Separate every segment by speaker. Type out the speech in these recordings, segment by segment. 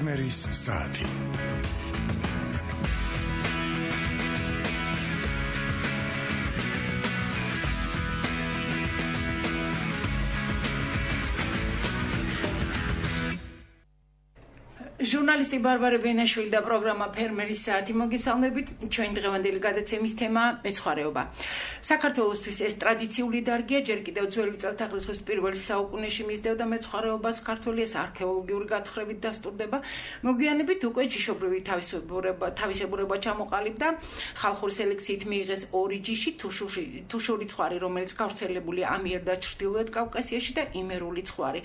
Speaker 1: ფერმერის საათი.
Speaker 2: ჟურნალისტი ბარბარე ბენაშვილი და პროგრამა ფერმერის საათი მოგესალმებით. ჩვენ დღევანდელი გადაცემის თემა მეცხვარეობა. საქართველოსთვის ეს ტრადიციული დარგია, ჯერ კიდევ ძველი წელთაღრიცხვის პირველ საუკუნეში მისდევდა მეცხვარეობას ქართველი, ეს არქეოლოგიური გათხრებით დასტურდება. მოგვიანებით უკვე ჯიშობრივი თავისებურება ჩამოყალიბდა. ხალხური სელექციით მიიღეს ორი ჯიში, თუშური ცხვარი, რომელიც გავრცელებულია ამიერკავკასიაში და ჩრდილოეთ კავკასიაში და იმერული ცხვარი.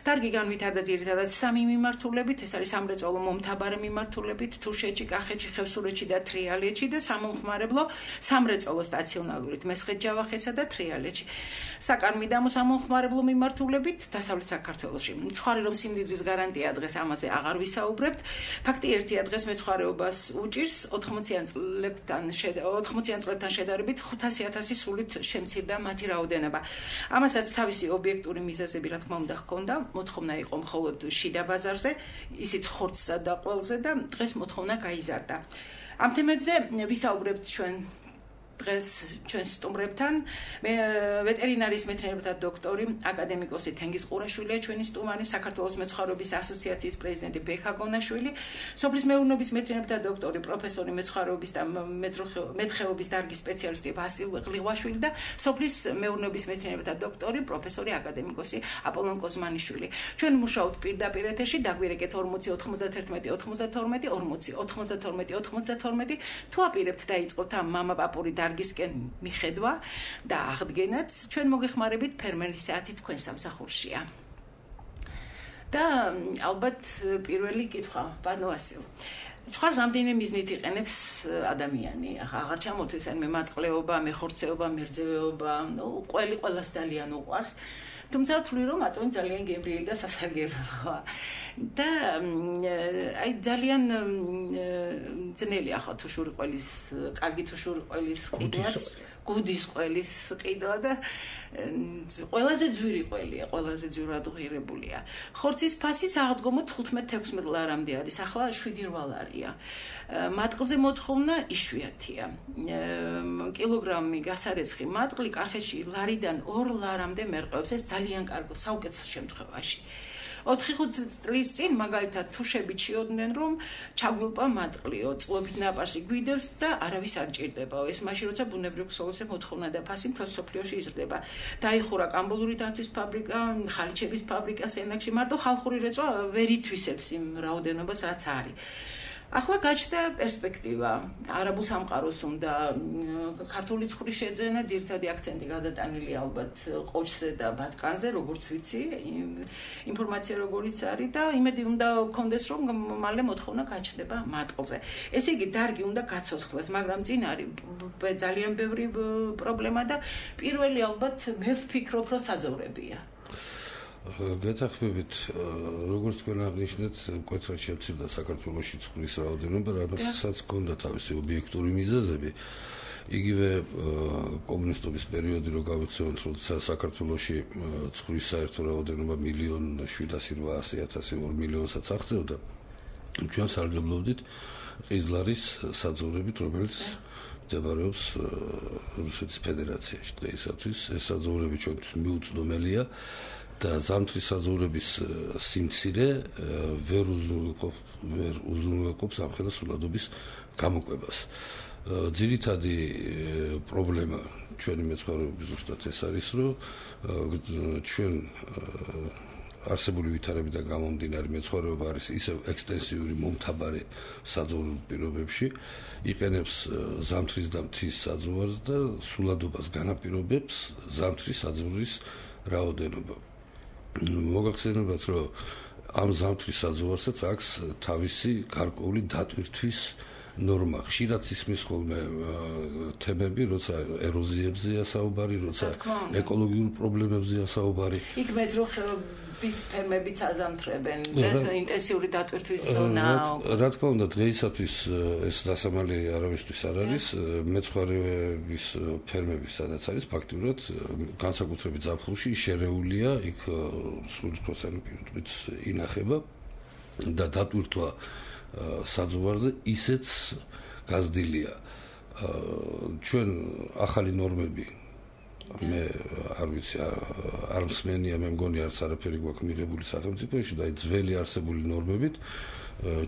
Speaker 2: დარგი განვითარდა ძირითადად სამი მიმართულებით, ეს არის სამრეწველო მომთაბარე მიმართულებით, თუშეთში, კახეთში, ხევსურეთში და თრიალეთში და სამომხმარებლო სამრეწველო სტაციონალურით მესხეთ-ჯავახეთსა და თრიალეთში. საკარმიდამო სამომხმარებლო მიმართულებით დასავლეთ საქართველოში. ცხვარი რომ სიმდიდრის გარანტია დღეს ამაზე აღარ ვისაუბრებთ. ფაქტი ერთია, დღეს მეცხვარეობას უჭირს 80-იან წლებთან შედარებით 500,000 სულით შემცირდა მათი რაოდენობა. ამასაც თავისი ობიექტური მიზეზები რა თქმა უნდა ჰქონდა, მოთხოვნა იყო მხოლოდ შიდა ბაზარზე, ისიც ხორცსა და ყველზე და დღეს მოთხოვნა გაიზარდა. ამ თემებზე ვისაუბრებთ დღეს ჩვენ სტუმრებთან. ვეტერინარიის მეცნიერებათა დოქტორი, აკადემიკოსი თენგიზ ყურაშვილია ჩვენი სტუმარი, საქართველოს მეცხვარეობის ასოციაციის პრეზიდენტი ბექა გონაშვილი, სოფლის მეურნეობის მეცნიერებათა დოქტორი, პროფესორი მეცხვარეობის და მეთხეობის დარგის სპეციალისტი ვასილ ღვლიღვაშვილი და სოფლის მეურნეობის მეცნიერებათა დოქტორი, პროფესორი, აკადემიკოსი აპოლონ კოზმანიშვილი. ჩვენ მუშაობთ პირდაპირ ეთერში, დაგვირეკეთ 40 91 92 40 92 92. თუ აპირებთ დაიწყოთ ამ მამაპაპური დარგისკენ მიხედვა და აღდგენაც, ჩვენ მოგეხმარებით ფერმერის საათი თქვენ სამსახურშია. და ალბათ პირველი კითხვა, ბატონო ვასილ. ცხვარს რამდენი მიზნით იყენებს ადამიანი? აღარ ჩამოთვლის ან მემატყლეობა, მეხორცეობა, მერძევეობა, ყველას ძალიან უყვარს. თუმცა ვთვლი რომ აწონი ძალიან გემრიელი და სასარგებლოა. და აი ძალიან ძნელია ხო თუშური ყველის, კარგი თუშური ყველის ყიდვაც, გუდის ყველის ყიდვა და ყველაზე ძვირი ყველია, ყველაზე ძვირად ღირებულია. ხორცის ფასი საღდგომოდ 15-16 ლარამდე არის, ახლა 7-8 ლარია. მატყლზე მოთხოვნა იშვიათია. კილოგრამი გასარეცხი მატყლი კახეთში ლარიდან 2 ლარამდე მერყევს, ეს ძალიან კარგი საუკეთესო შემთხვევაში. 4-5 წლის წინ მაგალითად თუშებით შეოდნენ რომ ჩაგვილპა მატყლიო, წყლობით ნაპარსი გვიდევს და არავის არ ჭირდებაო. ეს მაშინ როცა ბუნებრივ ქსოვილზე მოთხოვნა და ფასი მთელ სოფლიოში იზრდება. დაიხურა კამბულური დანთვის ფაბრიკა, ხალიჩების ფაბრიკა სენაკში, მარტო ხალხური რეწვა ვერ ითვისებს იმ რაოდენობას რაც არის. ახლა გაჩნდა პერსპექტივა. არაბულ სამყაროს უნდა ქართული ცხვრის შეძენა, ძირითადი აქცენტი გადატანილი ალბათ ყოჩზე და ბატკანზე, როგორც ვიცი, ინფორმაცია როგორიც არის და იმედი უნდა გქონდეს რომ მალე მოთხოვნა გაჩნდება მატყლზე. ესე იგი დარგი უნდა გაცოცხლდეს, მაგრამ წინ არის ძალიან ბევრი პრობლემა და პირველი ალბათ მე ვფიქრობ რომ საძოვრებია.
Speaker 3: გეთახმებით, როგორც თქვენ აღნიშნეთ, მკვეთრად შემცირდა საქართველოში ცხვრის რაოდენობა, რამაც ჰქონდა თავისი ობიექტური მიზეზები. იგივე კომუნისტობის პერიოდი რო გავიხსენოთ, როცა საქართველოში ცხვრის საერთო რაოდენობა 1,780,000 2 მილიონსაც აღწევდა. ჩვენ სარგებლობდით ყიზლარის საძოვრებით, რომელიც მდებარეობს რუსეთის ფედერაციაში დღეისათვის. ეს საძოვრები ჩვენთვის მიუწვდომელია. და ზამთრის საძოვრების სიმცირე ვერ უზრუნველყოფს ამხელა სულადობის გამოკვებას. ძირითადი პრობლემა ჩვენი მეცხვარეობის ზუსტად ეს არის, რომ ჩვენ არსებული ვითარებიდან გამომდინარე მეცხვარეობა არის ისევ ექსტენსიური მომთაბარე საძოვრულ პირობებში, იყენებს ზამთრის და მთის საძოვარს და სულადობას განაპირობებს ზამთრის საძოვრის რაოდენობა. მოგახსენებათ, რომ ამ ზამთრის საძოვარსაც აქვს თავისი გარკვეული დატვირთვის ნორმა. ხშირად ისმის ხოლმე თემები, როცა ეროზიებზეა საუბარი, როცა ეკოლოგიურ პრობლემებზეა საუბარი.
Speaker 2: იქ მეძროხეობის ფერმებიც აზამთრებენ და ინტენსიური დატვირთვის ზონაა.
Speaker 3: რა თქმა უნდა, დღეისათვის ეს დასამალი არავისთვის არ არის. მეცხვარეების ფერმები სადაც არის, ფაქტიურად განსაკუთრებით ზაფხულში შერეულია, იქ სულისფროსანი პირუტყვიც ინახება. და დატვირთვა საძოვარზე ისეც გაზრდილია. ჩვენ ახალი ნორმები მე არ ვიცი არ მსმენია მე მგონი არც არაფერი გვაქვს მიღებული სახელმწიფოში და ძველი არსებული ნორმებით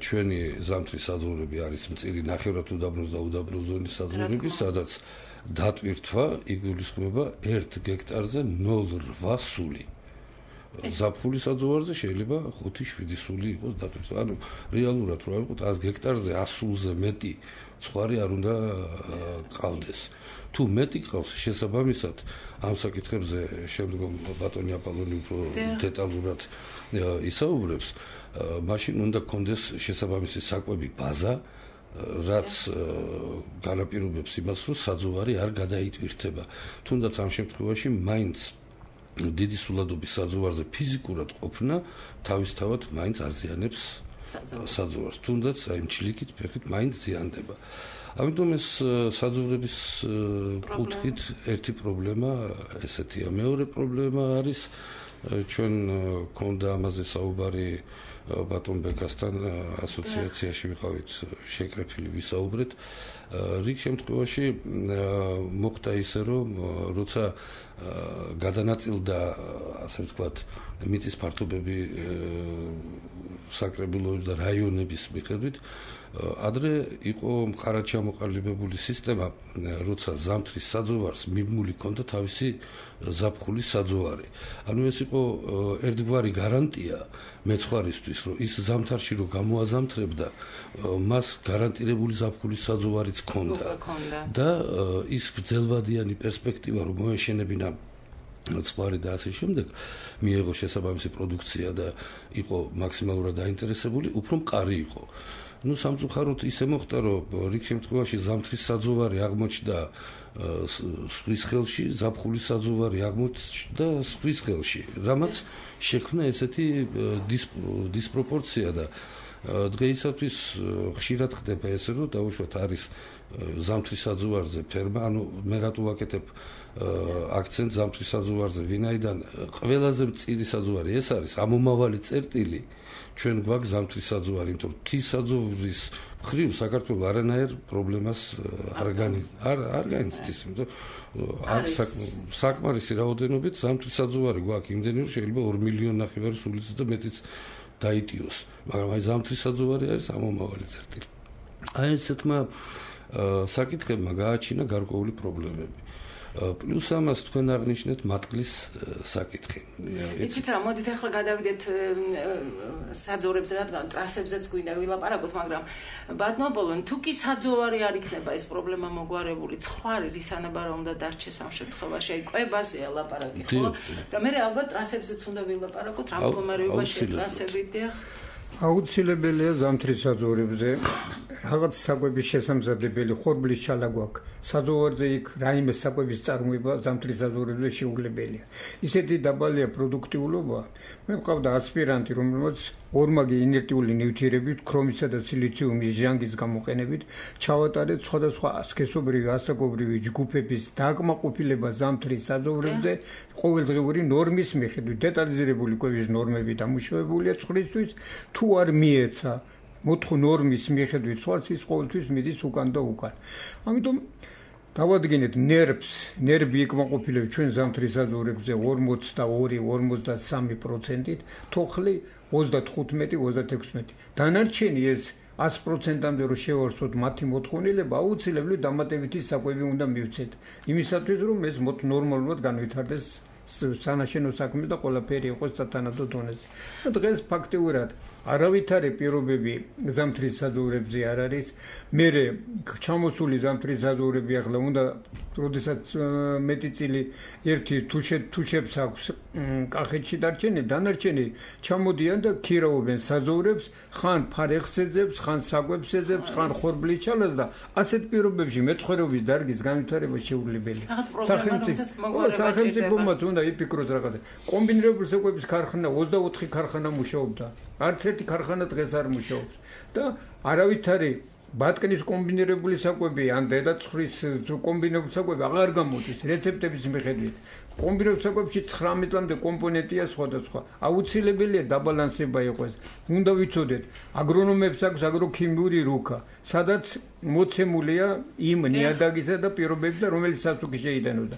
Speaker 3: ჩვენი ზამთრის საძოვრები არის მწირი ნახევრად უდაბნოს და უდაბნოს ზონის საძოვრები სადაც დატვირთვა იგულისხმება 1 გექტარზე 0.8 სული ზაფხულის საძოვარზე შეიძლება 5-7 სული იყოს დატვირთვა ანუ რეალურად რო ავიღოთ 100 გექტარზე 100 სულზე მეტი ცხარი არ უნდა ყავდეს თუ მეტი ყავს შესაბამისად ამ საკითხებზე შემდგომ ბატონი აპოლონი უფრო დეტალურად ისაუბრებს მაშინ უნდა კონდეს შესაბამისი საკვები ბაზა რაც განაპირობებს იმას რომ საძოვარი არ გადაიტვირთება თუნდაც ამ შემთხვევაში მაინც დიდი სულადობის საძოვარზე ფიზიკურად ყოფნა თავისთავად მაინც აზიანებს საძოვარს თუნდაც აი ჩლიქით ფეხით მაინც ზიანდება ამიტომ ეს საძოვრების კუთხით ერთი პრობლემა ესეთია მეორე პრობლემა არის ჩვენ გქონდა ამაზე საუბარი ბატონ ბეკასთან ასოციაციაში ვიყავით შეკრებილი ვისაუბრეთ რიგ შემთხვევაში მოხდა ისე რომ როცა გადანაწილდა ასე ვთქვათ მიწის ფართობები საკრებულოების და რაიონების მიხედვით ადრე იყო მყარად ჩამოყალიბებული სისტემა როცა ზამთრის საძოვარს მიმმული ჰქონდა თავისი ზაფხულის საძოვარი ანუ ეს იყო ერთგვარი გარანტია მეცხვარისთვის რომ ის ზამთარში რომ გამოაზამთრებდა მას გარანტირებული ზაფხულის საძოვარიც ჰქონდა და ის გრძელვადიანი პერსპექტივა რომ მოეშენებინა ცხვარი და ასე შემდეგ მიიღო შესაბამისი პროდუქცია და იყო მაქსიმალურად დაინტერესებული უფრო მყარი იყო ну სამწუხაროდ ისე მოხდა რომ რიგ შემთხვევაში ზამთრის საძოვარი აღმოჩნდა სხვის ხელში ზაფხულის საძოვარი აღმოჩნდა სხვის ხელში რამაც შექმნა ესეთი დისპროპორცია და დღეისათვის ხშირად ხდება ესე რომ დაუშვათ არის ზამთრის საძოვარზე ფერმა ანუ მე რატო ვაკეთებ აქცენტ ზამთრის საძოვარზე ვინაიდან ყველაზე მწირი საძოვარი ეს არის ამომავალი წერტილი ჩვენ გვაქვს ზამთრის საძოვარი იმიტომ რომ თის საძოვრის მხრივ საქართველოს არანაირ პრობლემას არ განიცდის იმიტომ აქ საკმარისი რაოდენობით ზამთრის საძოვარი გვაქვს იმდენი რომ შეიძლება 2 მილიონი ნახევარი სულიც და მეტიც დაიტიოს მაგრამ აი ზამთრის საძოვარი არის ამომავალი წერტილი აი ესეთმა საკითხებმა გააჩინა გარკვეული პრობლემები პლუს ამას თქვენ აღნიშნეთ მატყლის საკითხი.
Speaker 2: იცით რა, მოდით ახლა გადავიდეთ საძოვრებზე, რადგან ტრასებზეც გვინდა ვილაპარაკოთ, მაგრამ ბატონო აპოლონი, თუ კი საძოვარი არ იქნება ეს პრობლემა მოგვარებული, ცხვარი რის ანაბარა უნდა დარჩეს ამ შემთხვევაში, აი კვებაზეა ლაპარაკი, ხო? და მე ალბათ ტრასებზეც უნდა ვილაპარაკოთ, რა მდგომარეობაში ტრასები დიახ.
Speaker 1: აუცილებელია ზამთრის საძოვრებზე რაღაც საკვების შესამზადებელი ხორბლის ჩალა გვაქვს საძოვარზე იქ რაიმე საკვების წარმოება ზამთრის საძოვრებზე შეუძლებელია ისეთი დაბალია პროდუქტიულობა მე მყავდა ასპირანტი რომელმაც ორმაგი ინერტიული ნივთიერებით ქრომისა და სილიციუმის ჟანგის გამოყენებით ჩავატარეთ სხვადასხვა სქესობრივი ასაკობრივი ჯგუფების დაკმაყოფილება ზამთრის საძოვრებზე ყოველდღიური ნორმის მიხედვით დეტალიზირებული კვების ნორმები დამუშავებულია ცხრისთვის თუ არ მიეცა მოთხო ნორმის მიხედვით ცხვარს ის ყოველთვის მიდის უკან და უკან ამიტომ დავადგინეთ ნერვი იკმაყოფილებს ჩვენ ზამთრის საძოვრებზე 42-53%-ით თოხლი 35-36 დანარჩენი ეს 100%-ამდე რომ შევარსოთ მათი მოთხოვნილება აუცილებლად დამატებითი საკვები უნდა მივცეთ იმისათვის რომ ეს ნორმალურად განვითარდეს სანაშენო საქმე და ყველაფერი იყოს სათანადო დონეზე. დღეს ფაქტიურად არავითარი პირობები ზამთრის საძოვრებზე არ არის. მე ჩამოსული ზამთრის საძოვრები ახლა უნდა როდესაც მეტი წილი ერთი თუშებს აქვს კახეთში დანარჩენი ჩამოდიან და ქირაობენ საძოვრებს, ხან ფარეხს ეძებს, ხან საკვებს ეძებს, ხან ხორბლის ჩალას და ასეთ პირობებში მეცხვარეობის დარგის განვითარება შეუძლებელია. სახელმწიფომაც უნდა იფიქროს რაღაცა. კომბინირებული საკვების ქარხანა 24 ქარხანა მუშაობდა. არც ერთი ქარხანა დღეს არ მუშაობს და არავითარი ბატკნის კომბინირებული საკვები ან დედაცხვრის კომბინირებული საკვები აღარ გამოდის რეცეპტების მიხედვით. კომბინირებულ საკვებში 19-მდე კომპონენტია სხვადასხვა. აუცილებელია დაბალანსება იყოს. უნდა ვიცოდეთ, აგრონომებს აქვს აგროქიმიური რუქა, სადაც მოცემულია იმ ნიადაგისა და პირობები და რომელიც სასუქი შეიტანოდა.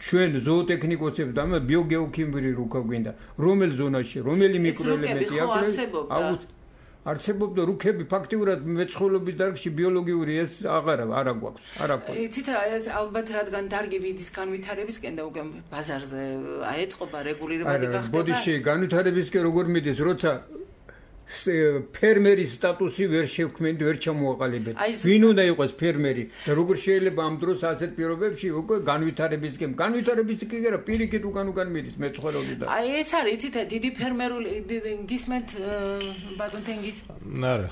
Speaker 1: ჩვენ ზოოტექნიკოსებს და ბიოგეოქიმიური რუქა გვინდა. რომელ ზონაში, რომელი მიკროელემენტი აქვს? არსებობდა რუქები ფაქტიურად მეცხოველობის დარგში ბიოლოგიური ეს არა გვაქვს, არა გვაქვს.
Speaker 2: იცით რა, ეს ალბათ რადგან დარგი ვიდის განვითარებისკენ და უკვე ბაზარზე აეწყობა რეგულირებადი გახდება.
Speaker 1: ბოდიში განვითარებისკენ როგორ მიდის, როცა ფერმერის სტატუსი ვერ შევქმნით, ვერ ჩამოაყალიბეთ. ვინ უნდა იყოს ფერმერი და როგორ შეიძლება ამ დროს ასეთ პირობებში უკვე განვითარებისკენ კი არა, პირიქით უკან მიდის მეცხოველობიდან.
Speaker 2: აი ეს არის, იცით, დიდი ფერმერული გისმენთ ბატონ თენგის?
Speaker 4: არა,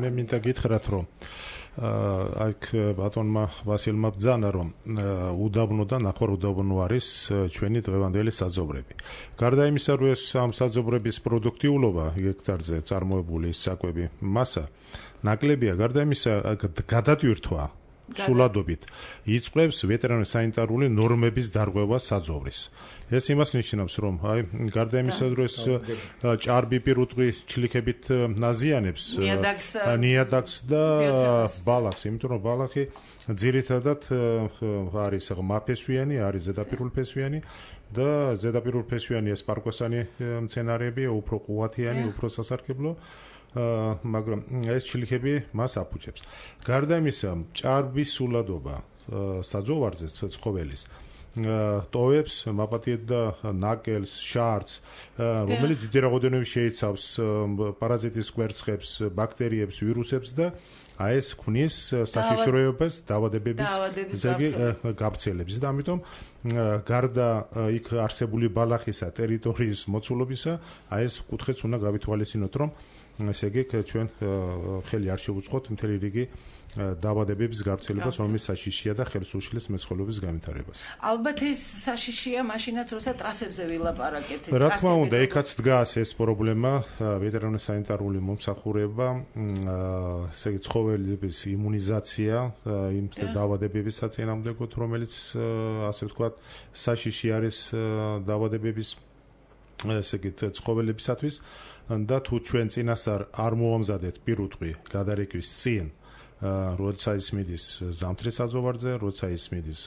Speaker 4: მე მინდა გითხრათ, რომ აქ ბატონმა ვასილმა ბძანა, რომ უდაბნო და ნახევარუდაბნო არის ჩვენი დღევანდელი საძოვრები. გარდა იმისა, რომ ეს ამ საძოვრების პროდუქტიულობა ჰექტარზე წარმოებული საკვები მასა ნაკლებია, გარდა იმისა, გადატვირთვა სულადობით იწყებს ვეტერინარ-სანიტარული ნორმების დარღვევა საძოვრის. ეს იმას ნიშნავს, რომ აი გარდა იმისა, რომ ეს ჭარბი პირუტყვი ჩლიქებით ნაზიანებს ნიადაგს და ბალახს, იმიტომ რომ ბალახი ძირითადად არის ღმაფესვიანი, არის ზედაპირულფესვიანი და ზედაპირულფესვიანი ეს პარკოსანი მცენარეებია, უფრო ყუათიანი, უფრო სასარგებლო. მაგრამ ეს ჩლიქები მას აფუჭებს. გარდა იმისა, ჭარბი სულადობა საძოვარზე ცხოველის ტოვებს მაპატიეთ და ნაკელს, შარდს, რომელიც დიდი რაოდენობით შეიცავს პარაზიტის კვერცხებს, ბაქტერიებს, ვირუსებს და აი ეს ქმნის საშიშროებას დაავადებების გავრცელების და ამიტომ გარდა იქ არსებული ბალახისა ტერიტორიის მოცულობისა, აი ეს კუთხეც უნდა გავითვალისწინოთ, რომ ესე იგი ჩვენ ხელი არ შევუწყოთ მთელი რიგი დაავადებების გავრცელებას, რომელიც საშიშია და ხელს უშლის მეცხოველობის განვითარებას.
Speaker 2: ალბათ ეს საშიშია მაშინაც, როცა ტრასებზე ვილაპარაკეთ.
Speaker 4: რა თქმა უნდა, იქაც დგას ეს პრობლემა, ვეტერინარ-სანიტარული მომსახურება, ესე იგი ცხოველების იმუნიზაცია, იმ დაავადებების საწინააღმდეგოდ, რომელიც ასე ვთქვათ, საშიში არის დაავადებების ესე იგი ცხოველებისათვის და თუ ჩვენ წინასწარ არ მოვამზადეთ პირუტყვი გადარეკვის წინ, როცა ის მიდის ზამთრის საძოვარზე, როცა ის მიდის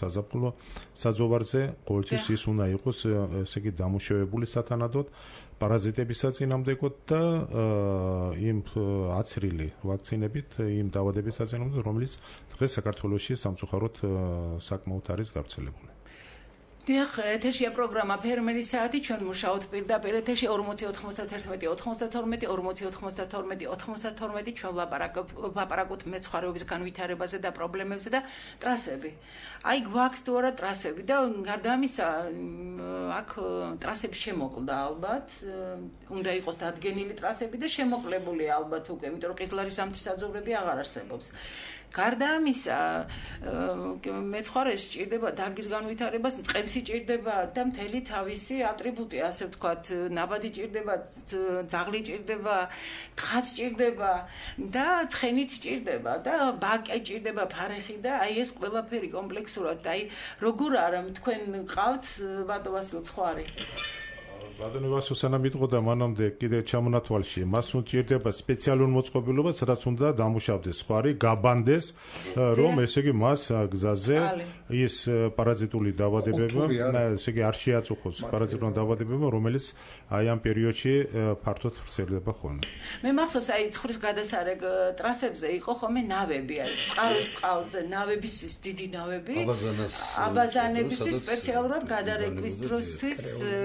Speaker 4: საზაფხულო საძოვარზე, ყოველთვის ის უნდა იყოს ესე იგი დამუშავებული სათანადოდ პარაზიტების საწინააღმდეგოდ და იმ აცრილი ვაქცინებით, იმ დაავადების საწინააღმდეგოდ, რომელიც დღეს საქართველოში სამწუხაროდ საკმაოდ არის გავრცელებული.
Speaker 2: დიახ, ეთერშია პროგრამა ფერმერის საათი, ჩვენ მუშაობთ პირდაპირ ეთერში 40-91-92-92 ჩვენ ვლაპარაკობთ მეცხვარეობის განვითარებაზე და პრობლემებზე და ტრასები. აი გვაქვს თუ არა ტრასები და გარდა ამისა, აქ ტრასები შემოკლდა ალბათ, უნდა იყოს დადგენილი ტრასები და შემოკლებულია ალბათ უკვე, იმიტომ რომ ყიზლარის ზამთრის საძოვრები აღარ არსებობს. გარდა ამისა, მეცხვარეს სჭირდება დარგის განვითარებას, წყებს სჭირდება და მთელი თავისი ატრიბუტი, ასე ვთქვათ, ნაბადი სჭირდება, ძაღლი სჭირდება, თხაც სჭირდება და ცხენით სჭირდება და ბაკე სჭირდება, ფარეხი და აი ეს ყველაფერი კომპლექსურად, აი როგორ არა თქვენ ყავთ ბატონ ვასილ ცხარი?
Speaker 4: ბატონი ვასილ სანამ იყო და მანამდე კიდე ჩამონათვალში, მას უჭირდება სპეციალური მოწყობილობა, სადაც უნდა დამუშავდეს ხვარი, გაბანდეს, რომ ესე იგი მას გზაზე ის პარაზიტული დაავადებება, ესე იგი არ შეაწუხოს პარაზიტული დაავადებება, რომელიც აი ამ პერიოდში ფართოდ ვრცელდება ხოლმე.
Speaker 2: მე მახსოვს, აი ცხრის გადასარეგ ტრასებზე იყო ხოლმე ნავები, აი წყალზე ნავებისთვის დიდი ნავები, აბაზანებისთვის სპეციალურად გადარეკვის დროსთვის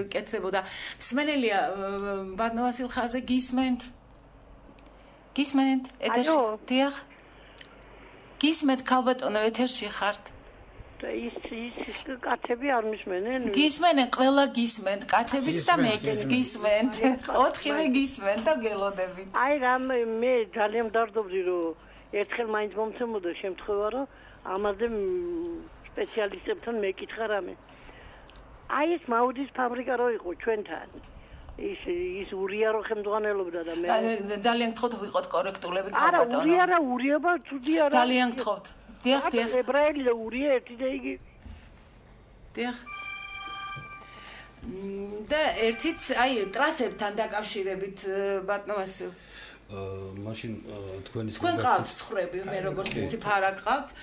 Speaker 2: კეთდებოდა. მსმენელია ბატონ ვასილ ხაზე გისმენთ? ეთერში? დიახ. გისმენთ ქალბატონო ეთერში ხართ?
Speaker 5: ის კაცები არ მისმენენ?
Speaker 2: გისმენენ, ყველა გისმენთ, კაცებიც და მეკიც გისმენთ. ოთხივე გისმენთ და გელოდებით.
Speaker 5: აი რამ მე ძალიან მდარდობდი რომ ერთხელ მაინც მომცემოდა შემთხვევა რომ ამაზე სპეციალისტებთან მეკითხა რამე. აი ეს მაუდის ფაბრიკა რო იყო ჩვენთან. ის ურია რო ხელმძღვანელობდა და მე
Speaker 2: ძალიან გთხოვთ ვიყოთ კორექტულები
Speaker 5: არა ურია რა ურიობა ცუდი არა
Speaker 2: ძალიან გთხოვთ დიახ
Speaker 5: ებრაელი და ურია ერთი და იგი
Speaker 2: დიახ და ერთიც აი ტრასებთან დაკავშირებით ბატონოს
Speaker 3: მაშინ თქვენის
Speaker 2: თქვენ ყავთ ცხრები მე როგორც ვიცი ფარა ყავთ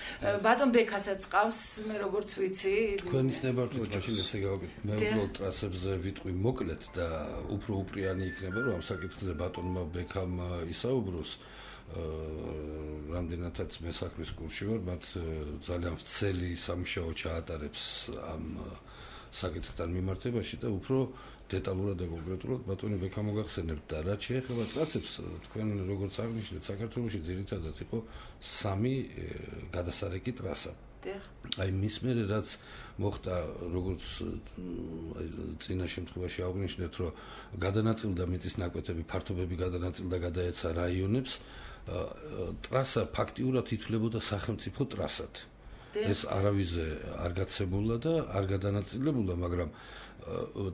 Speaker 2: ბატონ ბექასაც ყავს მე როგორც ვიცი
Speaker 3: თქვენის ნებართვით მაშინ ესე გავაკეთე მე უბრალოდ ტრასებზე ვიტყვი მოკლედ და უფრო უპრიანი იქნება რომ ამ საკითხზე ბატონმა ბექამ ისაუბროს რამდენადაც მე საქმის კურსში ვარ მათ ძალიან ვრცელი სამუშაო ჩაატარებს ამ საკითხთან მიმართებაში და უფრო დეტალურად და კონკრეტულად ბატონი ბექა მოგახსენებთ და რაც შეეხება ტრასებს თქვენ როგორც აღნიშნეთ საქართველოში ძირითადად იყო 3 გადასარეკი ტრასა. აი მის მერე რაც მოხდა როგორც წინა შემთხვევაში აღნიშნეთ რომ გადანაწილდა მიწის ნაკვეთები ფართობები გადანაწილდა გადაეცა რაიონებს ტრასა ფაქტიურად ითვლებოდა სახელმწიფო ტრასად. ეს არავიზე არ გაცემულა და არ გადანაწილებულა, მაგრამ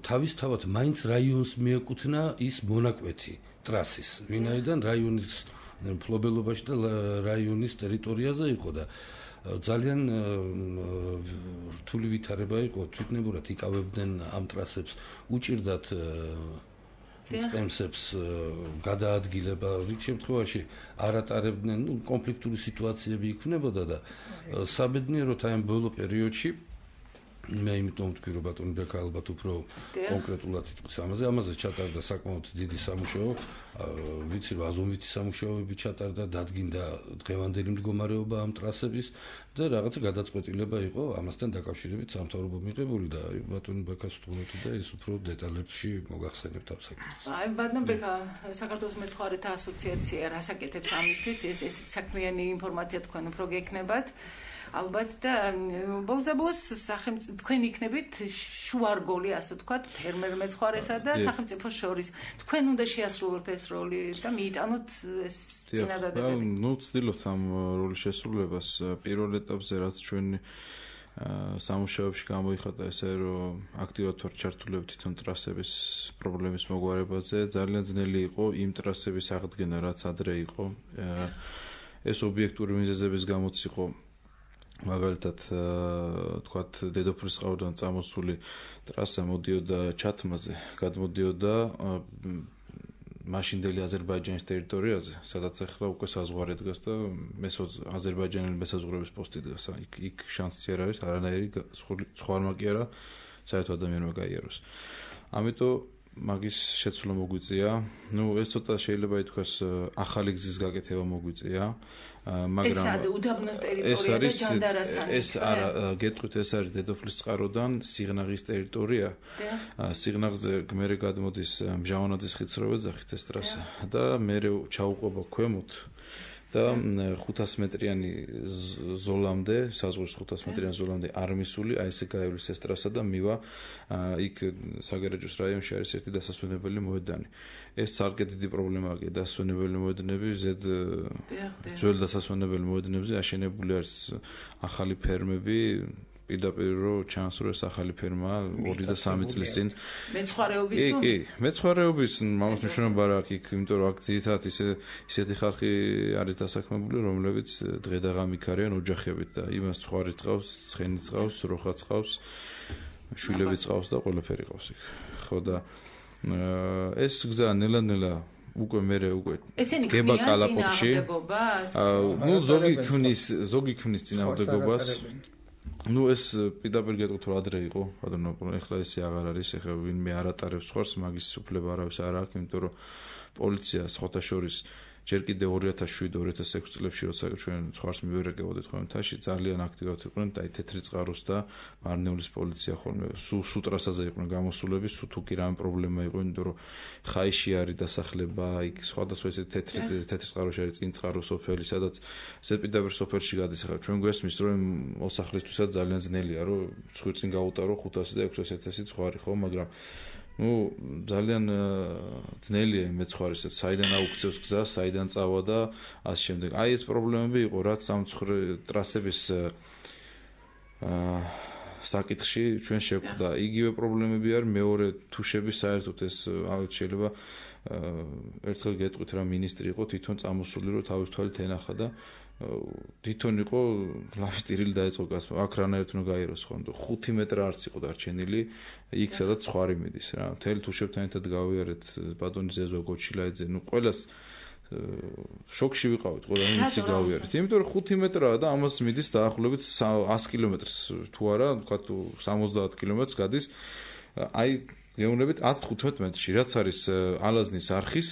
Speaker 3: თავისთავად მაინც რაიონს მიეკუთვნა ის მონაკვეთი ტრასის, ვინაიდან რაიონის მფლობელობაში და რაიონის ტერიტორიაზე იყო და ძალიან რთული ვითარება იყო, თვითნებურად იკავებდნენ ამ ტრასებს, უჭირდათ წემსებს გადაადგილება რიგ შემთხვევაში არ ატარებდნენ კონფლიქტური სიტუაციები იქნებოდა და საბედნიეროდ აი ამ ბოლო პერიოდში მე იმიტომ ვთქვი რომ ბატონი ბექა ალბათ უფრო კონკრეტულად იტყვის ამაზე ჩატარდა საკმაოდ დიდი სამუშაო ვიცი რომ აზომვითი სამუშაოები ჩატარდა დადგინდა დღევანდელი მდგომარეობა ამ ტრასების და რაღაცა გადაწყვეტილება იყო ამასთან დაკავშირებით სამთავრობო მიღებული და ბატონი ბექას ვთქვით და ის უფრო დეტალებში მოგახსენებთ ამ საკითხს.
Speaker 2: აი ბატონ ბექა საქართველოს მეცხვარეთა ასოციაცია რასაკეთებს ამისთვის ეს საქმიანი ინფორმაცია თქვენ უფრო გექნებათ ალბათ და ბოლოს თქვენ იქნებით შუარგოლი ასე ვთქვათ ფერმერ მეცხვარესა და სახელმწიფოს შორის თქვენ უნდა შეასრულოთ ეს როლი და მიიტანოთ ეს წინადადებები.
Speaker 6: ნუ ვცდილობთ ამ როლის შესრულებას პირველ ეტაპზე რაც ჩვენი სამუშაოებში გამოიხატა ესე რომ აქტიურად ვარ ჩართულები თვითონ ტრასების პრობლემის მოგვარებაზე ძალიან ძნელი იყო იმ ტრასების აღდგენა რაც ადრე იყო ეს ობიექტური მიზეზების გამოც იყო მაგალითად თქვათ დედოფლისწყაროდან წამოსული ტრასა მოდიოდა ჩათმაზე გადმოდიოდა მაშინდელი აზერბაიჯანის ტერიტორიაზე სადაც ახლა უკვე საზღვარი დგას და აზერბაიჯანელი მესაზღვრების პოსტი დგას იქ შანსი არ არის არანაირი სხვა არმაკი არა საერთოდ ადამიანმა გაიაროს ამიტომ მაგის შეცვლა მოგვიწია ნუ ეს ცოტა შეიძლება ითქვას ახალი გზის გაკეთება მოგვიწია მაგრამ
Speaker 2: ეს უდაბნოს ტერიტორია და ჯანდარასთან
Speaker 6: ეს არა გეტყვით ეს არის დედოფლისწყაროდან სიღნაღის ტერიტორია სიღნაღზე მერე გადმოდის მჟავანაძის ხიდსროვე ძახით ეს ტრასა და მერე ჩაუყვება ქვემოთ და 500 მეტრიანი ზოლამდე, საზღვრის 500 მეტრიანი ზოლამდე არ მისული, აი ესე გაივლის ეს ტრასა და მივა იქ საგარეჯოს რაიონში არის ერთი დასასვენებელი მოედანი. ეს ძალიან დიდი პრობლემაა, დასასვენებელი მოედნები, ძველ დასასვენებელი მოედნებზე აშენებული არის ახალი ფერმები პირდაპირ რომ ჩანს რომ ეს ახალი ფერმა 2 და 3 წლის წინ
Speaker 2: მეცხვარეობის თუ
Speaker 6: მეცხვარეობის მამაც მნიშვნელობა რა აქვს იქ იმიტომ რომ აქ ძირითადად ისეთი ხალხი არის დასაქმებული რომლებიც დღე და ღამით არიან ოჯახებით და იმას ცხვარი წყავს, ცხენი წყავს, როხა წყავს, შვილები წყავს და ყველაფერი ყავს იქ. ხო და ეს გზა ნელა-ნელა უკვე გება კალაპოტში. ნუ ზოგი ქმნის წინააღმდეგობას. ნუ ეს პირდაპირ გეტყვით რომ ადრე იყო, ბატონო, ეხლა ესე აღარ არის, ეხლა ვინმე არ ატარებს ხوارს, მაგის უფლება არავის არ აქვს, იმიტომ რომ პოლიცია სხვათა შორის ჯერ კიდე 2007-2006 წლებში როცა ჩვენ ხوارს მივერეკებოდით ხომთაში ძალიან აქტიურად იყვნენ და აი თეთრი წყაროს და მარნეულის პოლიცია ხოლმე სუ ტრასაზე იყვნენ გამოსულები, სუ თუ კი რამე პრობლემა იყო, იმიტომ რომ ხაიში არის დასახლება, იქ სხვადასხვა ესე თეთრი წყაროში არის წინ წყარო სოფელი, სადაც ზედპირდაპირ სოფელში გადის. ახლა ჩვენ გვესმის რომ მოსახლისთვისაც ძალიან ძნელია რომ ცხვირ წინ გაუტარო 500 და 600 ცხვარი ხო, მაგრამ ნუ ძალიან ძნელია მეცხვარესაც საიდან აუქცევს გზა, საიდან წავა და ასე შემდეგ. აი ეს პრობლემები იყო, რაც ამ ტრასების საკითხში ჩვენ შეგვხვდა იგივე პრობლემები არის მეორე თუშები საერთოდ ეს შეიძლება ერთხელ გეტყვით რა მინისტრი იყო თვითონ წამოსული რომ თავის თვალით ენახა და თვითონ იყო ლავისტირილი დაეწყო გასმა აქ რანაირად უნდა გაიეროს ხომ 5 მეტრ არც იყო დარჩენილი იქ სადაც ხვარი მიდის რა მთელი თუშებთან ერთად გავიარეთ ბატონი ზეზო გოჩილაიძე ნუ ყველას შოკში ვიყავით ყველანი ვიცი გავიარეთ იმიტომ რომ 5 მეტრაა და ამას მიდის დაახლოებით 100 კილომეტრს თუ არა ვთქვათ 70 კილომეტრს გადის აი გეუბნებით 10-15 მეტრში რაც არის ალაზნის არხის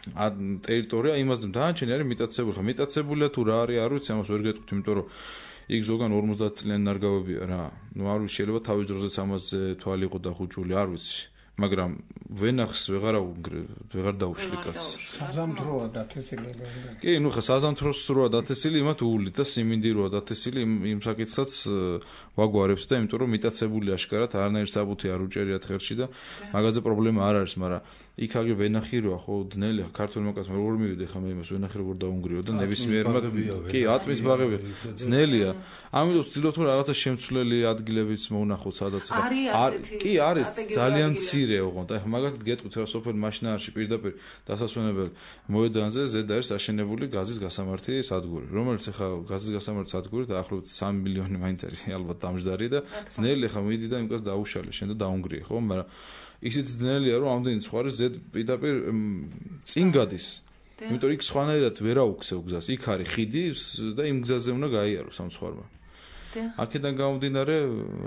Speaker 6: ტერიტორია იმას დაანჩენი არის მიტაცებული ხა მიტაცებულია თუ რა არის არ ვიცი ამას ვერ გეტყვით იმიტომ რომ იქ ზოგან 50 წლიანი ნარგავებია რა ნუ არ ვიცი შეიძლება თავის დროზეც ამაზე თვალი იყო დახუჭული არ ვიცი მაგრამ ვენახს ვეღარ დაუშვი კაცს
Speaker 1: საზამთროა დათესილი
Speaker 6: კი ნუ ხა საზამთროს როა დათესილი იმათ უვლით და სიმინდი როა დათესილი იმ საკითხსაც ვაგვარებს და იმიტომ რომ მიტაცებული აშკარად არანაირ საბუთი არ უჭერიათ ხელში და მაგაზე პრობლემა არ არის მაგრამ იქ აგერ ვენახი როა ხო დნელი ქართულმა კაცმა როგორ მივიდე ხა მე იმას ვენახი როგორ დაუნგრიო და ნებისმიერმა კი ატმის ბაღები ძნელია ამიტომ ვცდილობ რომ რაღაცა შემცვლელი ადგილებიც მოვნახოთ სადაც კი არის ძალიან მცირე ოღონდ აი მაგათად გეტყვით რა სოფელ მაშინაარში პირდაპირ დასასვენებელ მოედანზე ზედ არის აშენებული გაზის გასამართი სადგური რომელიც ახლა გაზის გასამართი სადგური დაახლოებით 3 მილიონი მაინც არის ალბათ დამჯდარი და ძნელი ხა მიდი და იმას დაუშალე შენ და დაუნგრიე ხო მაგრამ ისიც ძნელია რომ ამდენი სხვა ზედ პირდაპირ წინ გადის იმიტომ იქ სხვანაირად ვერ აუქცევ გზას იქ არის ხიდი და იმ გზაზე უნდა გაიარო სამცხარმა აქედან გამომდინარე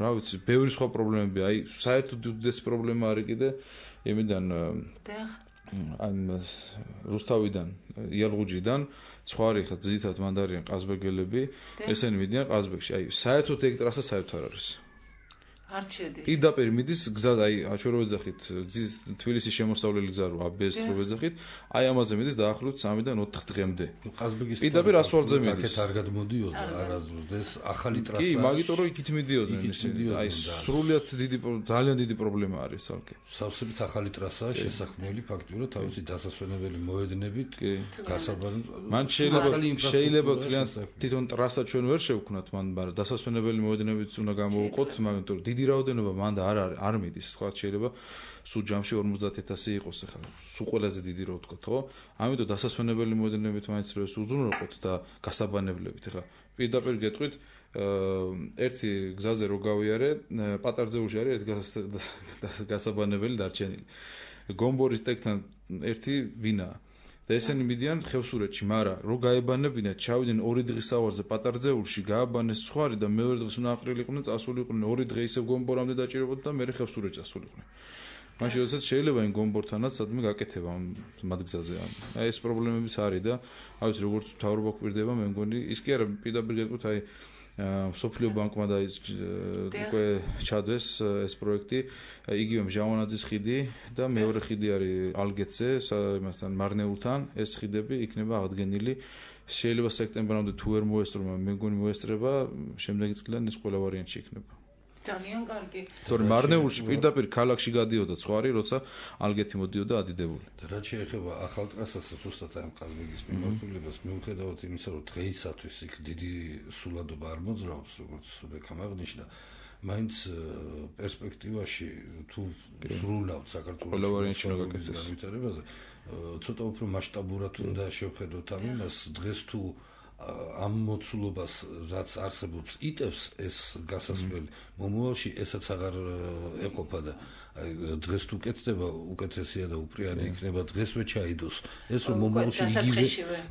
Speaker 6: რა ვიცი ბევრი სხვა პრობლემები აი საერთოდ უდიდესი პრობლემა არის კიდე იმიდან ან რუსთავიდან იალღუჯიდან სხვარი ხა ძირითადად მანდარიან ყაზბეგელები ესენი მიდიან ყაზბეგში აი საერთოდ ეგ ტრასა საერთოდ არ არის არ შედის. პირდაპირ მიდის გზა აი ჩვენ რო ვეძახით გზის თბილისის შემოსავლელი გზა რო აბეს რო ვეძახით აი ამაზე მიდის დაახლოებით 3-დან 4 დღემდე.
Speaker 3: ყაზბეგის
Speaker 6: პირდაპირ ასfaltზე მიდის.
Speaker 3: აქეთ არ გადმოდიოდა არასდროს და ეს ახალი ტრასა.
Speaker 6: კი, მაგიტომ რომ იქით მიდიოდნენ ისინი. აი სრულიად ძალიან დიდი პრობლემა არის ალკე.
Speaker 3: სავსებით ახალი ტრასაა შესაქმნელი ფაქტურად თავისი დასასვენებელი მოედნებით გასაბანი.
Speaker 6: მან შეიძლება თვითონ ტრასა ჩვენ ვერ შევქნათ მან, მაგრამ დასასვენებელი მოედნებიც უნდა გამოვუყოთ, მაგრამ დიდი რაოდენობა მანდა არ მიდის, თქვა შეიძლება სულ ჯამში 50000 იყოს ახლა. სულ ყველაზე დიდი რო ვთქოთ, ხო? ამიტომ დასასვენებელი მოედნებით მაინც რო ეს უზრუნველყოთ და გასაბანებლებით. ახლა პირდაპირ გეტყვით ერთი გზაზე რო გავიარე, პატარძეულში არის ერთი გასაბანებელი დარჩენილი. გომბორის ტეკთან ერთი ვინაა. და ესენი მიდიან ხევსურეთში, მაგრამ რო გაებანებინათ, ჩავიდნენ 2 დღის სავარზე პატარძეულში, გააბანეს სხვარი და მეორე დღეს უნდა აყრილიყვნენ, წასულიყვნენ 2 დღე ისევ გომბორამდე დაჭირებოდა და მე ხევსურეთში წასულიყვნენ. მაშინ როდესაც შეიძლება იმ გომბორთანაც სადმე გაკეთება ამ მათგზაზე. აი ეს პრობლემებიც არის და აი ეს როგორც მთავრობა გვპირდება, მე მგონი ის კი არა პირდაპირ გეტყვით აი სოფლიო ბანკმა და უკვე ჩადვეს ეს პროექტი იგივე მჟავანაძის ხიდი და მეორე ხიდი არის ალგეთზე იმასთან მარნეულთან ეს ხიდები იქნება აღდგენილი შეიძლება სექტემბრამდე თუ ვერ მოესწრება მე მგონი მოესწრება შემდეგი წლიდან ეს ყველა ვარიანტი იქნება
Speaker 2: ძალიან კარგი.
Speaker 6: თორემ მარნეულში პირდაპირ ქალაქში გადიოდა ხვარი, როცა ალგეთი მოდიოდა ადიდებული.
Speaker 3: და რაც შეეხება ახალ ტრასას ზუსტად ამ ყაზბეგის მიმართულებას, მიუხედავად იმისა, რომ დღეისათვის იქ დიდი სულადობა არ მოძრაობს, როგორც ბექამ აღნიშნა, მაინც პერსპექტივაში თუ სრულავთ საქართველოს განვითარებაზე, ცოტა უფრო მასშტაბურად უნდა შევხედოთ ამ იმას, დღეს თუ ამ მოცულობას რაც არსებობს იტევს ეს გასასვლელი მომავალში ესაც აღარ ეყოფა და აი დღეს თუ კეთდება უკეთესია და უპრიანი იქნება დღესვე ჩაიდოს ეს რომ მომავალში იგივე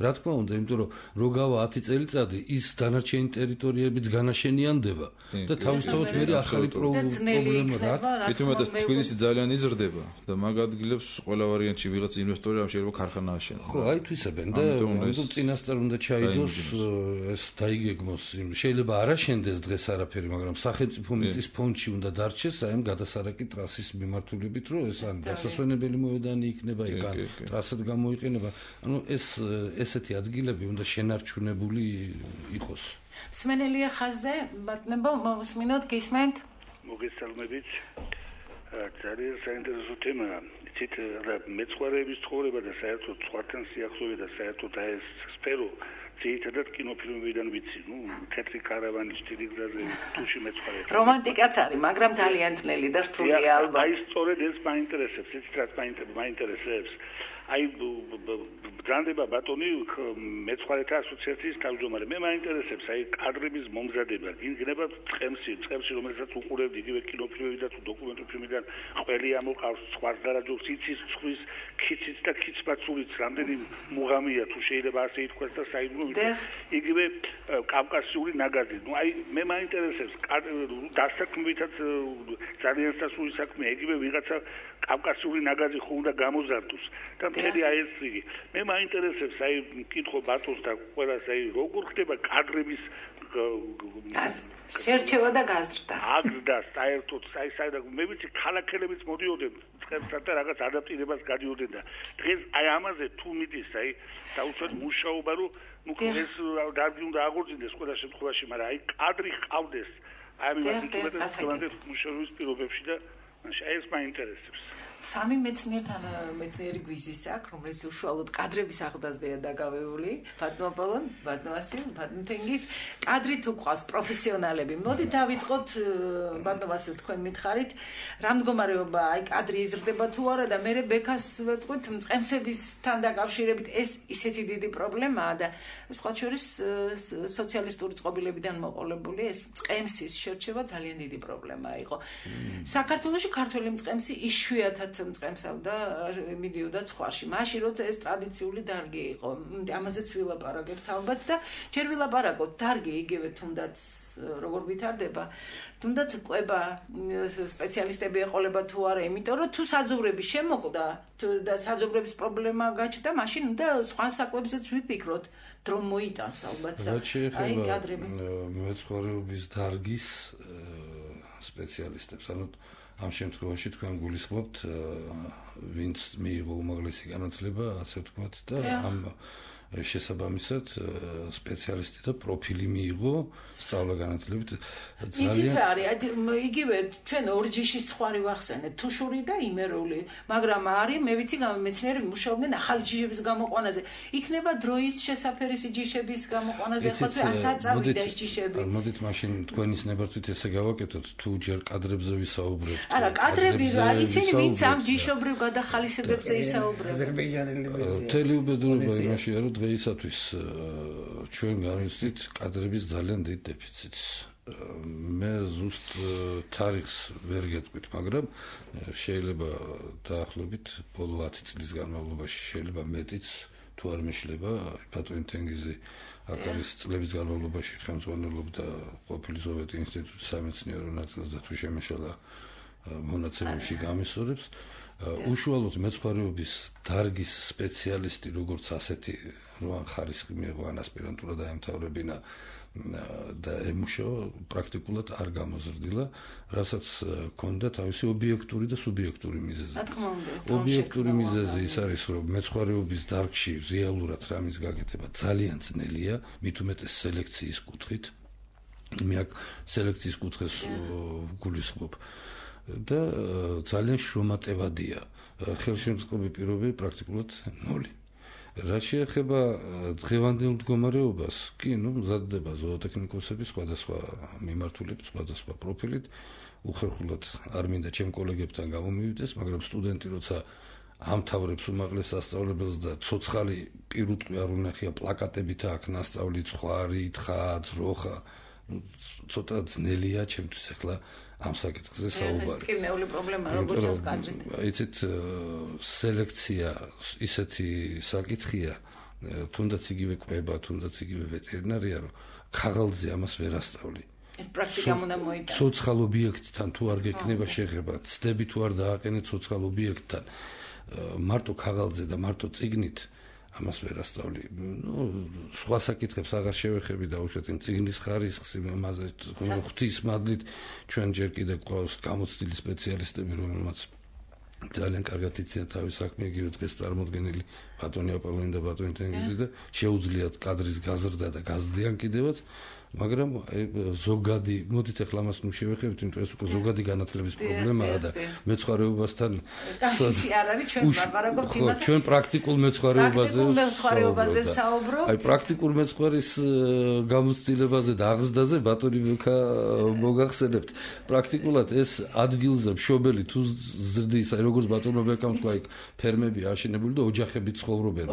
Speaker 3: რა თქმა უნდა იმიტომ რომ რო გავა 10 წელიწადი ის დანარჩენი ტერიტორიებიც განაშენიანდება და თავისთავად მე ახალი პრობლემა რა
Speaker 6: თვითონაც თბილისი ძალიან იზრდება და მაგ ადგილებს ყველა ვარიანტში ვიღაც ინვესტორი ამ შეიძლება ქარხანა აშენოს
Speaker 3: ხო აი თვისებენ და ამიტომ წინასწარ უნდა ჩაიდოს ეს დაიგეგმოს შეიძლება არ აშენდეს დღეს არაფერი მაგრამ სახელმწიფო მიწის ფონდში უნდა დარჩეს აი ამ გადასარეკი ტრასის მიმართულებით რომ ეს ან დასასვენებელი მოედანი იქნება იქ ან ტრასად გამოიყენება ანუ ეს ესეთი ადგილები უნდა შენარჩუნებული იყოს
Speaker 2: მსმენელია ხაზზე ბატონებო მოსმინოთ გისმენთ
Speaker 7: მოგესალმებით ძალიან საინტერესო თემაა იცით მეცხვარეების ცხოვრება და საერთოდ სხვათან სიახლოვე და საერთოდ ეს სფერო ძირითადად კინოფილმებიდან ვიცი, თეთრი კარავანის ტილიგზაზე თუში მეცხვარე.
Speaker 2: რომანტიკაც არის, მაგრამ ძალიან ძნელი და რთულია ალბათ.
Speaker 7: აი სწორედ ეს მაინტერესებს, ეს რაც მაინტერესებს. აი ბრანდება ბატონი მეცხვარეთა ასოციაციის თავმჯდომარე. მე მაინტერესებს აი კადრების მომზადება. გინგნება წყემსი რომელსაც უყურებთ იგივე კინოფილმები და თუ დოკუმენტური ფილმიდან ყველი ამოყავს სხვას დარაჯობს იცის ცხვის ქიციც და ქიცბაცულიც რამდენი მუღამია თუ შეიძლება ასე ითქვას და საიდუმლო იგივე კავკასიური ნაგაზი. აი მე მაინტერესებს დასაქმებითაც ძალიან სასურველი საქმეა იგივე ვიღაცა კავკასიური ნაგაზი ხო უნდა გამოზარდოს და მთელი აი ეს იგი მე მაინტერესებს აი მკითხო ბატონს და ყველას აი როგორ ხდება კადრების
Speaker 2: შერჩევა და გაზრდა
Speaker 7: აგზდა საერთოდ საერთოდ მე ვიცი ქალაქელებიც მოდიოდნენ წყებსა და რაღაც ადაპტირებას გადიოდნენ და დღეს აი ამაზე თუ მიდის აი დაუშვათ მუშაობა რომ ეს დარგი უნდა აღორძინდეს ყველა შემთხვევაში მაგრამ აი კადრი ყავდეს აი მე მუშაობის პირობებში და ეს მაინტერესებს
Speaker 2: სამი მეცნიერი გვიზის აქვს, რომელიც უშუალოდ კადრების აღდაზეა დაკავებული. ბატონო პოლონ, ბატონო ასი, ბატონო თენგის კადრი თუ ყავს პროფესიონალები. მოდით დავიწყოთ ბატონო ასი თქვენ მითხარით, რა მდგომარეობა აი კადრი იზრდება თუ არა და მე ბექას ვეთქვით მწყემსებისთან დაკავშირებით ეს ისეთი დიდი პრობლემაა და სხვა შორის სოციალისტური წყობილებიდან მოყოლებული ეს მწყემსის შერჩევა ძალიან დიდი პრობლემა იყო. საქართველოში ქართველი მწყემსი იშვიათად მწყემსავდა მიდიოდა ცხვარში. მაშინ როცა ეს ტრადიციული დარგი იყო, ამაზეც ვილაპარაკებთ ალბათ და ჯერ ვილაპარაკოთ დარგი იგივე თუნდაც როგორ ვითარდება, თუნდაც ყვება სპეციალისტები ეყოლება თუ არა, იმიტომ რომ თუ საძოვრები შემოკვდა და საძოვრების პრობლემა გაჩნდა, მაშინ უნდა სხვა საკვებზეც ვიფიქროთ. დრო მოიტანს ალბათ და
Speaker 3: აი კადრები მეცხვარეობის დარგის სპეციალისტებს ანუ ამ შემთხვევაში თქვენ გულისხმობთ ვინც მიიღო უმაღლესი განათლება ასე ვთქვათ და ამ შესაბამისად სპეციალისტი და პროფილი მიიღო სწავლა განათლებით
Speaker 2: ძალიან არის იგივე ჩვენ ორჯიშის ხვარი ვახსენეთ თუშური და იმერული მაგრამ არის მე ვიცი მეცნიერები მუშაობდნენ ახალი ჯიშების გამოყვანაზე იქნება დროის შესაფერის ჯიშების გამოყვანაზე ხო ასაწავიდა ეს ჯიშები
Speaker 3: მოდით მაშინ თქვენის ნებართვით ესე გავაკეთოთ თუ ჯერ კადრებზე ვისაუბრებთ
Speaker 2: არა კადრები რა ისინი ვინც ამ ჯიშობრივ გადახალისებებზე ისაუბრებენ
Speaker 1: აზერბაიჯანელები
Speaker 3: მთელი უბედურება იმაშია რომ დღეისათვის ჩვენ განვიცდით კადრების ძალიან დიდ დეფიციტს. მე ზუსტ თარიღს ვერ გეტყვით, მაგრამ შეიძლება დაახლოებით ბოლო 10 წლის განმავლობაში შეიძლება მეტიც თუ არ მეშლება ბატონი თენგიზი აქ არის წლების განმავლობაში ხელმძღვანელობდა ყოფილი სოვიეტი ინსტიტუტის სამეცნიერო ნაწილს და თუ შემეშალა მონაცემებში გამისწორებს უშუალოდ მეცხვარეობის დარგის სპეციალისტი როგორც ასეთი როან ხარისხი მიიღო ან ასპირანტურა დაემთავრებინა და ემუშავა პრაქტიკულად არ გამოზრდილა, რასაც ჰქონდა თავისი ობიექტური და სუბიექტური მიზეზი. ობიექტური მიზეზი ის არის, რომ მეცხვარეობის დარგში რეალურად რამის გაკეთება ძალიან ძნელია, მით უმეტეს სელექციის კუთხით. მე აქ სელექციის კუთხეს გულისხმობ. და ძალიან შრომატევადია. ხელშემწყობი პირობები პრაქტიკულად ნული. რა შეეხება დღევანდელ მდგომარეობას, კი, მზადდება ზოოტექნიკოსები სხვადასხვა მიმართულებით, სხვადასხვა პროფილით, უხერხულად არ მინდა ჩემ კოლეგებთან გამომივიდეს, მაგრამ სტუდენტი როცა ამთავრებს უმაღლეს სასწავლებელს და ცოცხალი პირუტყვი არ უნახია პლაკატებით აქ ნასწავლი ცხვარი, თხა, ძროხა, ცოტა ძნელია ჩემთვის ახლა ამ საკითხზე საუბარი.
Speaker 2: ეს კინეული პრობლემა როგორ ჩანს კადრით.
Speaker 3: იცით სელექცია ისეთი საკითხია, თუნდაც იგივე კვება, თუნდაც იგივე ვეტერინარია, რომ ქაღალდზე ამას ვერ ასწავლი.
Speaker 2: ეს პრაქტიკამ უნდა მოიტანოს.
Speaker 3: ცოცხალ ობიექტთან თუ არ გეკნება შეხება, ცდები თუ არ დააყენეთ ცოცხალ ობიექტთან, მარტო ქაღალდზე და მარტო წიგნით ამას ვერ ასწავლი. სხვა საკითხებს აღარ შევეხები და უშუალოდ წიგნის ხარისხს იმაზე ღვთის მადლით ჩვენ ჯერ კიდევ გვყავს გამოცდილი სპეციალისტები, რომელმაც ძალიან კარგად იციან თავის საქმე, იგივე დღეს წარმოდგენილი ბატონი აპოლონი და ბატონი თენგიზი და შეუძლიათ კადრის გაზრდა და გაზრდიან კიდევაც, მაგრამ ზოგადი, მოდით ახლა მას ნუ შევეხებთ, იმიტომ ეს უკვე ზოგადი განათლების პრობლემაა და მეცხვარეობასთან
Speaker 2: კავშირი არ არის, ჩვენ ვაპარაკობთ იმაზე.
Speaker 3: ჩვენ პრაქტიკულ
Speaker 2: მეცხვარეობაზე საუბრობთ.
Speaker 3: აი პრაქტიკულ მეცხვარის გამოცდილებაზე და აღზრდაზე ბატონი მიქა მოგახსენებთ. პრაქტიკულად ეს ადგილზე მშობელი თუ ზრდის, აი როგორც ბატონმა მიქამ თქვა, იქ ფერმები აშენებული და ოჯახები ცხოვრობენ.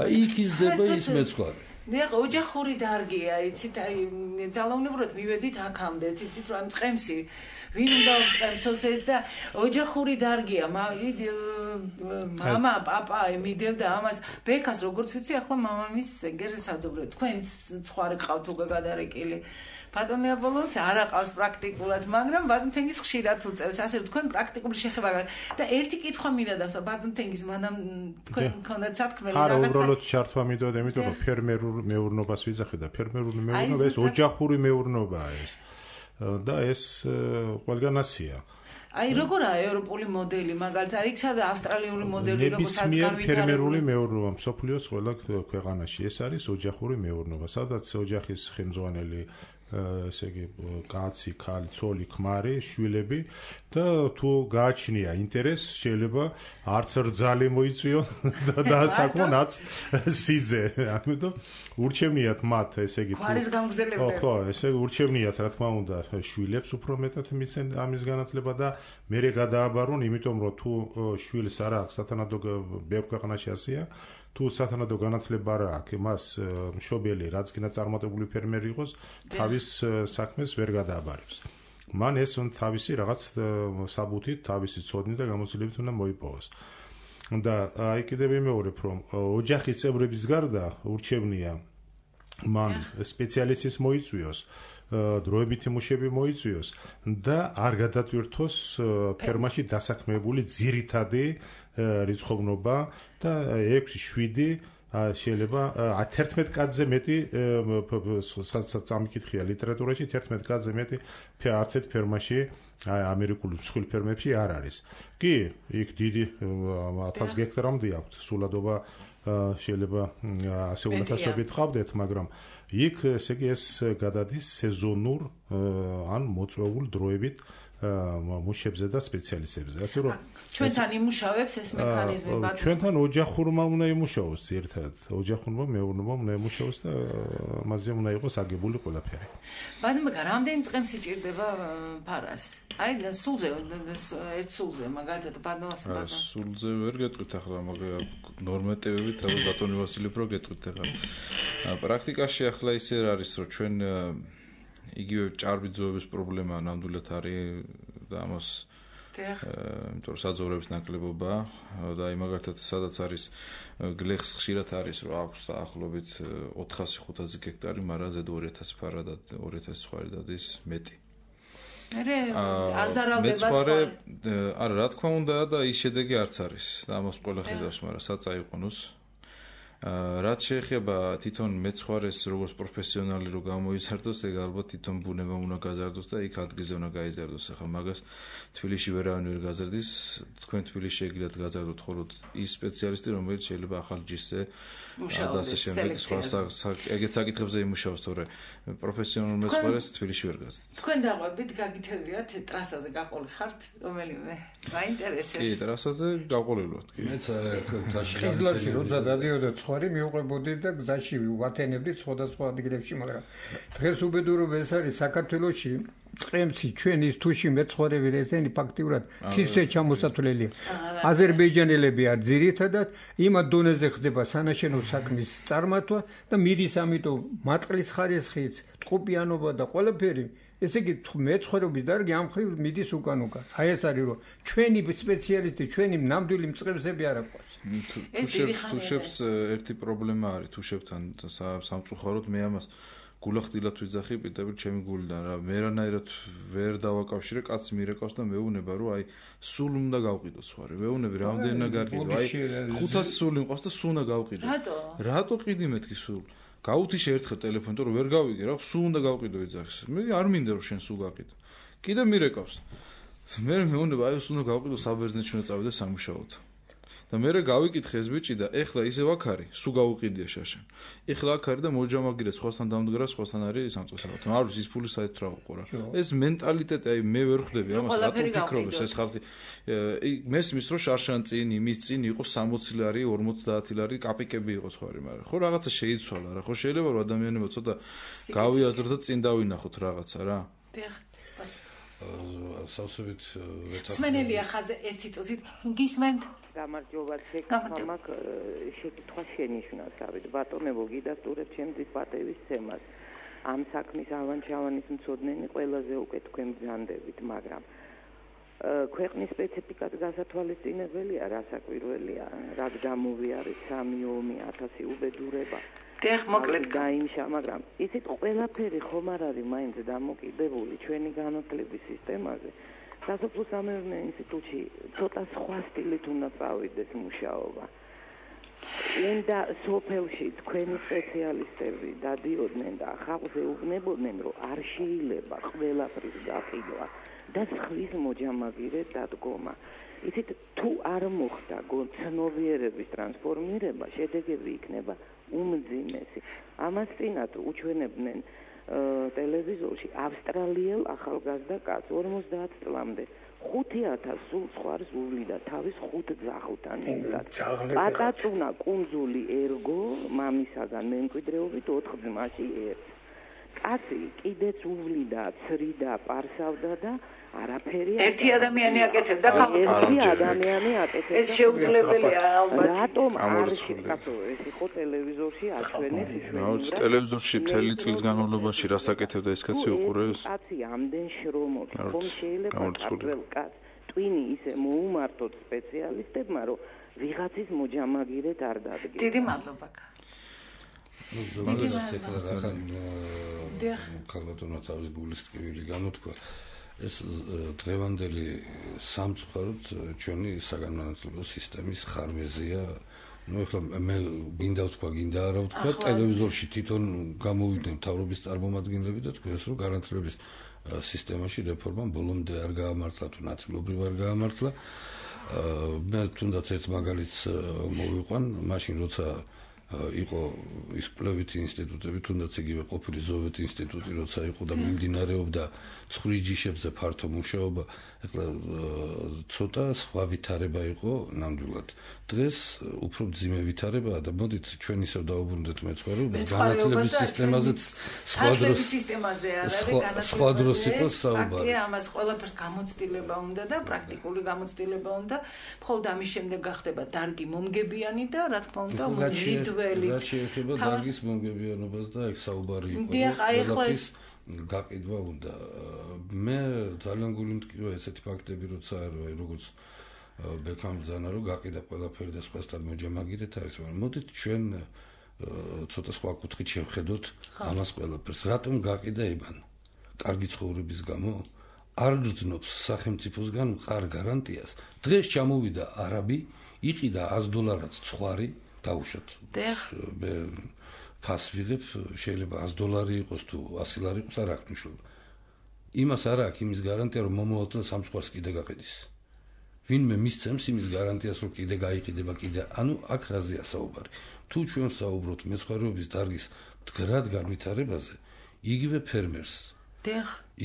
Speaker 3: აი იქ იზრდება ის მეცხვარი.
Speaker 2: ნახე, ოჯახური დარგია, იცით, აი ძალაუნებურად მივედით აქამდე, იცით, რომ წყემსი ვინ უნდა წყემსოს ეს და ოჯახური დარგია, მამა, პაპა ემიდევდა ამას, ბექას როგორც ვიცი, ახლა მამამის ეგრე საძოვრე, თქვენც ცხარე ყავთ უკვე გადარეკილი. ბატონი აპოლონს არ აყავს პრაქტიკულად, მაგრამ ბატონთენგის ხშირად უწევს, ასე რომ თქვენ პრაქტიკული შეხება და ერთი კითხვა მინდა დავსვა ბატონთენგის, მანამ თქვენ გქონდათ სათქმელი
Speaker 4: რაღაცა. არა, უბრალოდ ჩართვა მინდოდა, იმიტომ რომ ფერმერულ მეურნეობას ვიძახე და ფერმერული მეურნეობა ეს ოჯახური მეურნეობაა ეს. და ეს ყველგან ასია.
Speaker 2: აი როგორაა ევროპული მოდელი, მაგალითად, იქ სადა ავსტრალიური მოდელი როგორც
Speaker 4: განვითარებული ფერმერული მეურნეობა მსოფლიოს ყველა ქვეყანაში ეს არის ოჯახური მეურნეობა, სადაც ოჯახის ხელმძღვანელი ესე იგი კაცი, ქალი, ცოლი, ქმარი, შვილები და თუ გააჩნია ინტერესი, შეიძლება არც რძალი მოიწვიონ და საკმაოდ სიძე. ამიტომ ურჩევნიათ მათ, ესე იგი
Speaker 2: გვარის გამგზელებლები.
Speaker 4: ხო, ესე ურჩევნიათ, რა თქმა უნდა, შვილებს უფრო მეტად მიცენ ამის განათლება და მერე გადააბარონ, იმიტომ რომ თუ შვილს არ აქვს სათანადო ბევრ ქვეყანაში ასია, თუ სათანადო განათლება არ აქვს, მას მშობელი, რაც გინდა წარმატებული ფერმერი იყოს, თავის საქმეს ვერ გადააბარებს. მან ეს თავისი რაღაც საბუთით, თავისი ცოდნით და გამოცდილებით უნდა მოიპოვოს. და აი კიდევ ვიმეორებ, რომ ოჯახის წევრების გარდა ურჩევნია მან სპეციალისტის მოიწვიოს, დროებითი მუშები მოიწვიოს და არ გადატვირთოს ფერმაში დასაქმებული ძირითადი რიცხოვნობა და 6-7 შეიძლება 11 კაცზე მეტი სამიკითხია ლიტერატურაში 11 კაცზე მეტი არც ერთ ფერმაში ამერიკული მსხვილ ფერმებში არ არის. კი, იქ დიდი 1000 გექტარამდე აქვს სულადობა შეიძლება ასე უნათასობით ყავდეთ, მაგრამ იქ ესე იგი ეს გადადის სეზონურ ან მოწვეულ დროებით მუშებზე და სპეციალისტებზე. ასე რომ
Speaker 2: ჩვენთან იმუშავებს ეს მექანიზმი ბატონო.
Speaker 4: ჩვენთან ოჯახურმა უნდა იმუშაოს ერთად. ოჯახურმა მეურნეობამ უნდა იმუშაოს და მასზე უნდა იყოს აგებული ყველაფერი.
Speaker 2: ბატონო, რამდენი წყემსი ჭირდება ფარას? აი სულზე, ერთ სულზე, მაგალითად ბატონოს ბატონო.
Speaker 6: სულზე ვერ გეტყვით ახლა, მაგრამ ნორმატივებით თავი ბატონი ვასილი პრო გეტყვით ახლა. პრაქტიკაში ახლა ისე არის, რომ ჩვენ იგივე ჭარბი ძოების პრობლემა ნამდვილად არის და ამას იმიტომ რომ საძოვრების ნაკლებობა და აი მაგალითად სადაც არის გლეხს ხშირად არის რომ აქვს დაახლოებით 400-500 გექტარი, მაგრამ ზედ 2000 ფარა და 2000 ცხვარი დადის მეტი.
Speaker 2: არ ზარავდება
Speaker 6: ცხვარი. არა, რა თქმა უნდა და ის შედეგი არც არის და ამას ყველა ხედავს, მაგრამ საწაიყვანოს. რაც შეეხება თვითონ მეცხვარეს როგორც პროფესიონალი რო გამოიზარდოს, ეგ ალბათ თვითონ ბუნება უნდა გაზარდოს და იქ ადგილზე უნდა გაიზარდოს. ახლა მაგას თბილისში ვერავინ ვერ გაზარდის, თქვენ თბილისში ეგილად გაზარდოთ, ხოლო ის სპეციალისტი რომელიც შეიძლება ახალ ჯიშზე და ასე შემდეგ ეგეთ საკითხებზე იმუშაოს, თორე პროფესიონალ მეცხვარეს თბილისში ვერ გაზარდეთ.
Speaker 2: თქვენ დაყვებით გაგითევიათ ტრასაზე გაყოლი ხართ რომელიმე? მაინტერესებს.
Speaker 6: კი, ტრასაზე გაყოლილი ვართ, კი.
Speaker 3: მეც ერთხელ თაში
Speaker 1: ხიზლარში როცა დადიოდა ცხვარი მივყვებოდი და გზაში ვათენებდი სხვადასხვა ადგილებში, მაგრამ დღეს უბედურობა ეს არის საქართველოში წყემსი ჩვენ ის თუში მეცხვარები ესენი ფაქტიურად თითზე ჩამოსათვლელია. აზერბაიჯანელები არ ძირითადად იმ დონეზე ხდება სანაშენო საქმის წარმართვა და მიდის ამიტომ მატყლის ხარისხიც, ტყუპიანობა და ყველაფერი ესე იგი მეცხვარეობის დარგი ამ ხრივ მიდის უკან. აი ეს არის რომ ჩვენი სპეციალისტი, ჩვენი ნამდვილი მწყემსები არ აქვს.
Speaker 6: თუშებს ერთი პრობლემა არის თუშებთან სამწუხაროდ მე ამას გულახდილად ვიძახი პირდაპირ ჩემი გულიდან რა მე რანაირად ვერ დავაკავშირე კაცს მირეკავს და მეუბნება რომ აი სულ უნდა გავყიდო ცხვარი მეუბნები რამდენი უნდა გაყიდო აი 500 სული მყავს და სულ უნდა გავყიდო რატო ყიდი მეთქი სულ გაუთიშე ერთხელ ტელეფონით რომ ვერ გავიგე რა სულ უნდა გავყიდო ვიძახს მე არ მინდა რომ შენ სულ გაყიდო კიდე მირეკავს მე მეუბნება აი სულ უნდა გავყიდო საბერძნეთში უნდა წავიდე სამუშაოდ და მე გავიკითხე ეს ბიჭი და ეხლა ისევ აქ არის, სულ გავუყიდია შაშან. ეხლა აქ არის და მოჯამაგირე სხვასთან დამდგრა, სხვასთან არის სამწესად. მარუს ის ფული საერთოდ რა უყურა. ეს მენტალიტეტი, აი მე ვერ ხვდები ამას, რატო ფიქრობს ეს ხალხი. მესმის რომ შარშან წინ, იმის წინ იყო 60 ლარი, 50 ლარი კაპიკები იყო სხვა რი, მაგრამ ხო რაღაცა შეიცვალა რა. ხო შეიძლება რომ ადამიანებმა ცოტა გავიაზროთ და წინ დავინახოთ რაღაცა რა.
Speaker 3: სავსებით
Speaker 2: სმენელია ხაზე ერთი წუთით გისმენთ
Speaker 8: გამარჯობა შეკითხვა შეკითხვა შენიშნავს ავით ბატონებო გიდასტურებ ჩემთვის პატევის თემას ამ საქმის ავანჩავანის მცოდნენი ყველაზე უკეთ თქვენ ბრძანდებით მაგრამ ქვეყნის სპეციფიკად გასათვალისწინებელია რა საკვირველია რა გამოვიარეთ 3 ომი 1000 უბედურება
Speaker 2: მოკლედ
Speaker 8: გაიმშა, მაგრამ ისეთ ყველაფერი ხომ არ არის მაინც დამოკიდებული ჩვენი განათლების სისტემაზე. სასოფლო-სამეურნეო ინსტიტუტში ცოტა სხვა სტილით უნდა წავიდეს მუშაობა. უნდა სოფელში თქვენი სპეციალისტები დადიოდნენ და ხალხს ეუბნებოდნენ, რომ არ შეიძლება ყველაფრის გაყიდვა და სხვის მოჯამაგირედ დადგომა. ისეთ თუ არ მოხდა ცნობიერების ტრანსფორმირება, შედეგები იქნება უმძიმესი. ამას წინათ უჩვენებდნენ ტელევიზორში ავსტრალიელ ახალგაზრდა კაცს 50 წლამდე 5000 სულ სხვას უვლიდა თავის 5 ძაღლთან ერთად. პატაწუნა კუნძული ერგო მამისაგან მემკვიდრეობით 4 ძმაში ერთს. კაცი კიდეც უვლიდა, ცრიდა, პარსავდა და არაფერი
Speaker 2: ერთი ადამიანი აკეთებდა
Speaker 8: ერთი ადამიანი აკეთებდა
Speaker 2: ეს შეუძლებელია ალბათ
Speaker 8: რატომ არ შეკაცო ეს იყო ტელევიზორში აჩვენეს
Speaker 6: იშვიათად ტელევიზორში მთელი წლის განმავლობაში რას აკეთებდა ეს კაცი უყურეს
Speaker 8: კაცი ამდენ შრომობს ხომ შეიძლება კარგ კაც ტვინი ისე მოუმართოთ სპეციალისტებმა რომ ვიღაცის მოჯამაგირეთ არ დადგეს
Speaker 2: დიდი მადლობა
Speaker 3: ზოგადად ეხლა რახან ქალბატონმა თავის გულის ტკივილი გამოთქვა ეს დღევანდელი სამწუხაროდ ჩვენი საგანმანათლებლო სისტემის ხარვეზია. ნუ ეხლა მე გინდა ვთქვა, გინდა არა ვთქვა, ტელევიზორში თვითონ გამოვიდნენ მთავრობის წარმომადგენლები და თქვენ რომ განათლების სისტემაში რეფორმამ ბოლომდე არ გაამართლა თუ ნაწილობრივ არ გაამართლა. მე თუნდაც ერთ მაგალითს მოვიყვან, მაშინ როცა იყო ის კვლევითი ინსტიტუტები, თუნდაც იგივე ყოფილი ზოვეთ ინსტიტუტი, როცა იყო და მიმდინარეობდა ცხვრის ჯიშებზე ფართო მუშაობა, ეხლა ცოტა სხვა ვითარება იყო ნამდვილად. დღეს უფრო მძიმე ვითარებაა და მოდით ჩვენ ისევ დავუბრუნდეთ მეცხვარეობას, განათლების სისტემაზეც სხვა დროს იყო საუბარი.
Speaker 2: ამას ყველაფერს გამოცდილება უნდა და პრაქტიკული გამოცდილება უნდა, მხოლოდ ამის შემდეგ გახდება დარგი მომგებიანი და რა თქმა უნდა მუდმივი
Speaker 3: რაც შეეხება დარგის მომგებიანობას და ეგ საუბარი იყო ყველაფრის გაყიდვა უნდა. მე ძალიან გული მტკივა ესეთი ფაქტები, როცა როგორც ბექამ ბრძანა რომ გაყიდა ყველაფერი და სხვასთან მოჯამაგირეთ არის, მაგრამ მოდით ჩვენ ცოტა სხვა კუთხით შევხედოთ ამას ყველაფერს. რატომ გაყიდა იბან? კარგი ცხოვრების გამო? არ გრძნობს სახელმწიფოსგან მყარ გარანტიას. დღეს ჩამოვიდა არაბი, იყიდა $100 ცხვარი დაუშვათ. მე ფას ვიღებ, შეიძლება $100 იყოს თუ $100 იყოს, არ აქვს მნიშვნელობა. იმას არ აქვს იმის გარანტია, რომ მომავალ წელს ამ ცხვარს კიდე გაყიდის. ვინმე მისცემს იმის გარანტიას, რომ კიდე გაიყიდება კიდე. ანუ აქ რაზეა საუბარი? თუ ჩვენ საუბრობთ მეცხვარეობის დარგის მდგრად განვითარებაზე, იგივე ფერმერს,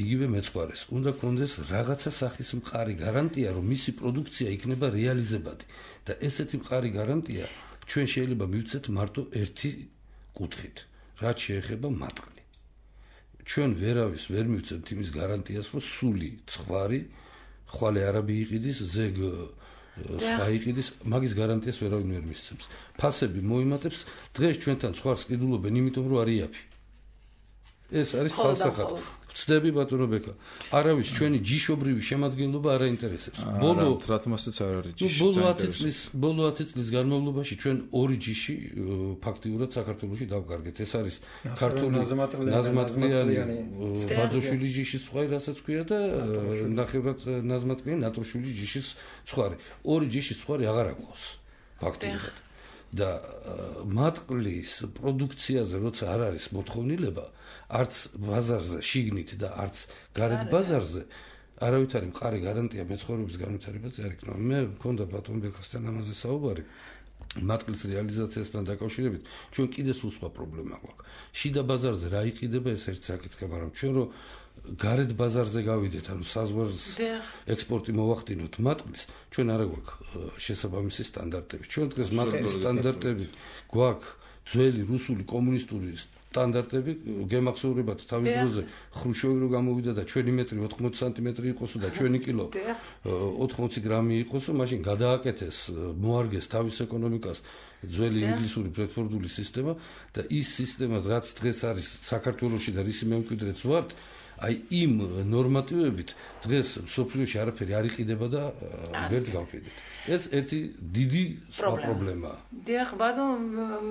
Speaker 3: იგივე მეცხვარეს უნდა კონდეს რაღაცა სახის მყარი გარანტია, რომ მისი პროდუქცია იქნება რეალიზებადი და ესეთი მყარი გარანტია ჩვენ შეიძლება მივცეთ მარტო ერთი კუთხით, რაც შეეხება მატყლი. ჩვენ ვერავის ვერ მივცეთ იმის გარანტიას, რომ სული ცხვარი ხვალე არაბი იყიდის, ზეგ სხვა იყიდის, მაგის გარანტიას ვერავინ ვერ მისცემს. ფასები მოიმატებს, დღეს ჩვენთან ცხვარს ყიდულობენ, იმიტომ რომ არის იაფი. ეს არის ხალხსახად. ვწდები ბატონო ბეკა. არავის ჩვენი ჯიშობრივი შემადგენლობა არ აინტერესებს.
Speaker 6: რატომაც არ არის ჯიში.
Speaker 3: ბოლო 10 წლის განმავლობაში ჩვენ 2 ჯიში ფაქტიურად საქართველოში დავკარგეთ. ეს არის ქართული ნაზმატყლიანი ბაძოშვილის ჯიშის ცხვარი, რასაც ქვია და ნახევრად ნაზმატყლიანი ნატროშვილის ჯიშის ცხვარი. 2 ჯიშის ცხვარი აღარ აქვს ფაქტიურად. და მატყლის პროდუქციაზე როცა არ არის მოთხოვნილება, არც ბაზარზე შიგნით და არც გარეთ ბაზარზე არავითარი მყარი გარანტია მეცხოვრების განვითარებაზე არ იქნება. მე მქონდა ბატონ ბექასთან ამაზე საუბარი. მატყლის რეალიზაციასთან დაკავშირებით ჩვენ კიდე სულ სხვა პრობლემა გვაქვს. შიდა ბაზარზე რა იყიდება ეს ერთ საკითხი, მაგრამ ჩვენ რომ გარეთ ბაზარზე გავიდეთ, ანუ საზღვარს ექსპორტი მოვახდინოთ მატყლის, ჩვენ არა გვაქვს შესაბამისი სტანდარტები. ჩვენ დღეს მატყლის სტანდარტები გვაქვს ძველი რუსული კომუნისტური სტანდარტები, გემახსოვრებათ თავის დროზე ხრუშოვი რო გამოვიდა და ჩვენი მეტრი 80 სანტიმეტრი იყოსო და ჩვენი კილო 80 გრამი იყოსო, მაშინ გადააკეთეს, მოარგეს თავის ეკონომიკას ძველი ინგლისური ბრედფორდული სისტემა და ის სისტემა რაც დღეს არის საქართველოში და რისი მემკვიდრეც ვართ, აი იმ ნორმატივებით დღეს სოფლიოში არაფერი არ იყიდება და ვერც გავყიდეთ. ეს ერთი დიდი სხვა პრობლემაა.
Speaker 2: დიახ, ბატონ,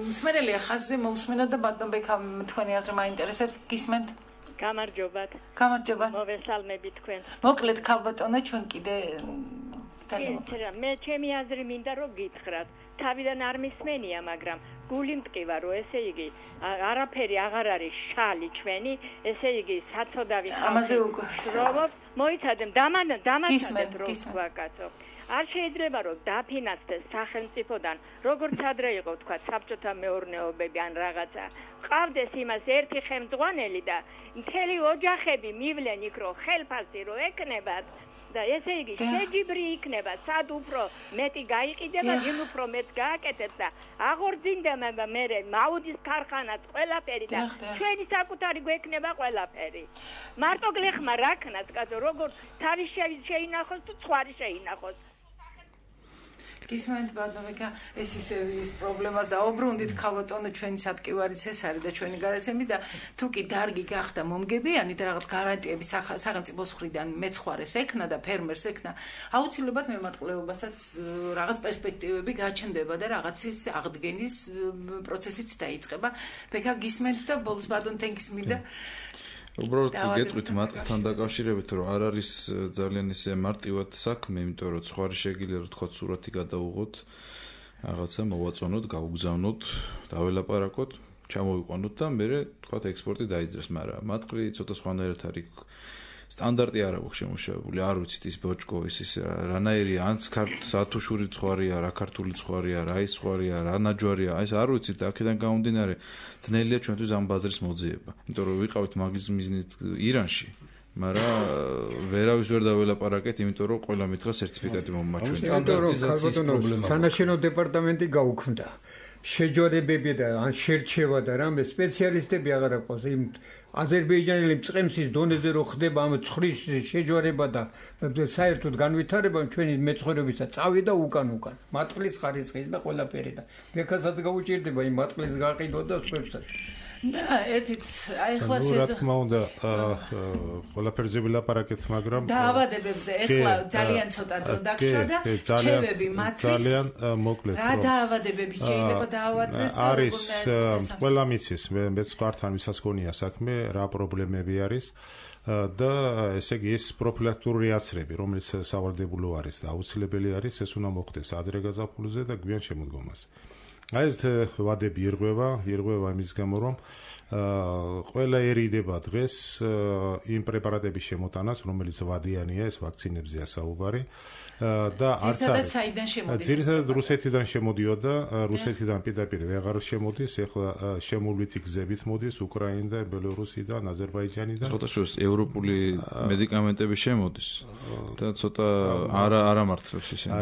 Speaker 2: მსმენელია ხაზზე მომსმენა და ბატონ ბექამ თქვენი აზრი მაინტერესებს, გისმენთ?
Speaker 9: გამარჯობათ.
Speaker 2: გამარჯობა.
Speaker 9: მოვესალმები თქვენ.
Speaker 2: მოკლედ ქალბატონო, ჩვენ კიდე
Speaker 9: მე ჩემი აზრი მინდა რომ გითხრათ. თავიდან არ მისმენია, მაგრამ გული მტკივა რომ ესე იგი არაფერი აღარ არის შალი ჩვენი, ესე იგი საწოდავი
Speaker 2: ამაზე უკვე
Speaker 9: შრომობ, მოიცადეთ დამატებთ რომ თქვა კაცო. არ შეიძლება რომ დაფინანსდეს სახელმწიფოდან, როგორც ადრე იყო თქვა საბჭოთა მეურნეობები ან რაღაცა. ყავდეს იმას ერთი ხელმძღვანელი და მთელი ოჯახები მივლენ იქ რომ ხელფასი რო ეკნებათ და ესე იგი შეჯიბრი იქნება, სად უფრო მეტი გაიყიდება, იმ უფრო მეტ გააკეთებს და აღორძინდება მერე მაუდის ქარხანაც ყველაფერი და ჩვენი საკუთარი გვექნება ყველაფერი. მარტო გლეხმა რა ქნას, კაცო, როგორც თავის შეინახოს თუ სხვარი შეინახოს.
Speaker 2: გისმენთ ბატონო, ეს ის პრობლემას დაუბრუნდით ქალბატონო, ჩვენი სატკივარიც ეს არის და ჩვენი გადაცემის და თუ კი დარგი გახდა მომგებიანი და რაღაც გარანტიები სახელმწიფოს მხრიდან მეცხვარეს ექნა და ფერმერს ექნა, აუცილებლად მემატყლეობასაც რაღაც პერსპექტივები გაჩნდება და რაღაცის აღდგენის პროცესიც დაიწყება. ბექა გისმენთ და ბოლოს ბატონ თენკის მინდა
Speaker 6: უბრალოდ გეტყვით მატყლთან დაკავშირებით, რომ არ არის ძალიან ისე მარტივად საქმე, იმიტომ რომ სხვარი შეგიძლია რომ თქვა სურათი გადაუღოთ, რაღაცა მოვაწონოთ, გავუგზავნოთ, დაველაპარაკოთ, ჩამოვიყვანოთ და მერე თქვა ექსპორტი დაიძრეს, მაგრამ მატყლი ცოტა სხვანაირად არის სტანდარტი არ აქვს შემუშავებული, არ ვიცით ის ბოჭკო ის რანაირია, ან სათუშური ცხარია, რა ქართული ცხარია, რა ის ცხარია, რა ნაჯვარია, ეს არ ვიცით და აქედან გამომდინარე ძნელია ჩვენთვის ამ ბაზრის მოძიება. იმიტომ რომ ვიყავით მაგის მიზნით ირანში, მაგრამ ვერავის ვერ დაველაპარაკეთ, იმიტომ რომ ყველა მითხრა სერტიფიკატი მომაჩვენე.
Speaker 1: სტანდარტიზაციის პრობლემა. სანაშენო დეპარტამენტი გაუქმდა. შეჯვარებები და ან შერჩევა და რამე სპეციალისტები აღარ აყავს იმ აზერბაიჯანელი მწყემსის დონეზე რო ხდება ამ ცხრის შეჯვარება და საერთოდ განვითარება ჩვენი მეცხოვრებისა წავიდა უკან მატყლის ხარისხის და ყველაფერი და ბექასაც გაუჭირდება იმ მატყლის გაყიდვა და სხვებსაც
Speaker 2: ერთით აი ახლა
Speaker 4: რა თქმა უნდა ყველაფერზე ვილაპარაკეთ, მაგრამ
Speaker 2: დაავადებებზე ახლა ძალიან ცოტა დრო დაგჭირდა და რჩევები მათთვის
Speaker 4: ძალიან მოკლედ
Speaker 2: რა დაავადებები შეიძლება დაავადდეს და
Speaker 4: არის ყველა მიცის მეც ხართან ვისაც გონია საქმე რა პრობლემები არის და ესე იგი ეს პროფილაქტიკური აცრები რომელიც სავალდებულო არის და აუცილებელი არის ეს უნდა მოხდეს ადრე გაზაფხულზე და გვიან შემოდგომაზე. აი ეს ვადები ირღვევა იმის გამო რომ ყველაერიდება დღეს იმ პრეპარატების შემოტანას რომელიც ვადიანია ეს ვაქცინებზეა საუბარი და არც არის ძირითადად რუსეთიდან შემოდიოდა რუსეთიდან პირდაპირ ვეღარ შემოდის ახლა შემოვლითი გზებით მოდის უკრაინიდან ბელორუსიდან აზერბაიჯანიდან
Speaker 6: ცოტა შორს ევროპული მედიკამენტები შემოდის და ცოტა არა მართლებს ისინი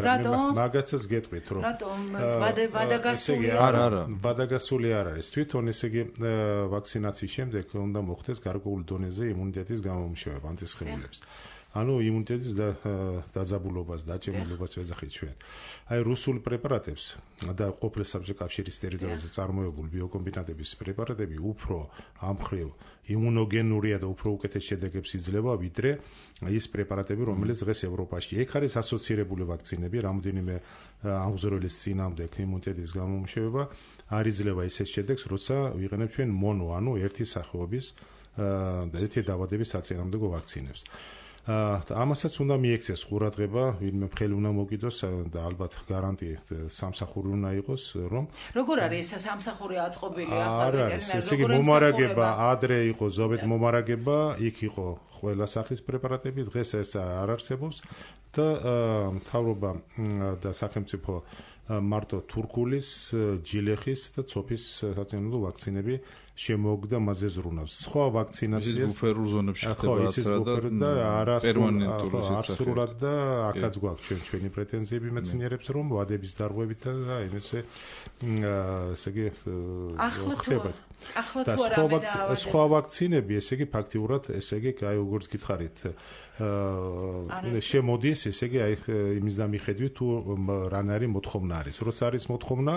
Speaker 4: მაგაცაც გეტყვით რომ
Speaker 2: რატომ ვადაგასული
Speaker 4: ვადაგასული არ არის თვითონ ესე იგი ვაქცინაციის შემდეგ უნდა მოხდეს გარკვეულ დონეზე იმუნიტეტის გამომუშავება ანტისხეულებს ანუ იმუნიტეტის დაძაბულობას და დაჭემულობას ვეძახით ჩვენ. აი რუსულ პრეპარატებს და ყოფილი საბჭოთა კავშირის ტერიტორიაზე წარმოებული ბიოკომბინატების პრეპარატები უფრო ამხრივ იმუნოგენურია და უფრო უკეთეს შედეგებს იძლევა ვიდრე ის პრეპარატები რომელიც დღეს ევროპაში იქ არის ასოცირებული ვაქცინები რამოდენიმე აღზრდილის წინამდე იმუნიტეტის გამომუშავება არ იძლევა ისეთ შედეგს როცა ვიყენებ ჩვენ მონო ანუ ერთი სახეობის და ერთი დაავადების საწინააღმდეგო ვაქცინებს. ამასაც უნდა მიექცეს ყურადღება, ვინმე მხელი უნდა მოგიდოს და ალბათ გარანტი სამსახური უნდა იყოს, რომ
Speaker 2: როგორ არის ეს სამსახური აწყობილი ახლა
Speaker 4: ვეტერინარი? ესე იგი მომარაგება, ადრე იყო ზოგადად მომარაგება, იქ იყო ყველა სახის პრეპარატები დღეს ეს არ არსებობს და მთავრობა და სახელმწიფო მარტო თურქულის, ჯილეხის და ცოფის საწინააღმდეგო ვაქცინები შემოუგდა მასზე ზრუნავს. სხვა ვაქცინაციას
Speaker 6: ბუფერულ ზონებში ხდება
Speaker 4: და არასრულად და აქაც გვაქვს ჩვენი პრეტენზიები მეცნიერებს რომ ვადების დარღვევით და ესე იგი ხდება. და სხვა ვაქცინები ესე იგი ფაქტიურად ესე იგი აი როგორც გითხარით შემოდის ესე იგი აი იმის და მიხედვით თუ რანარი მოთხოვნა არის. როცა არის მოთხოვნა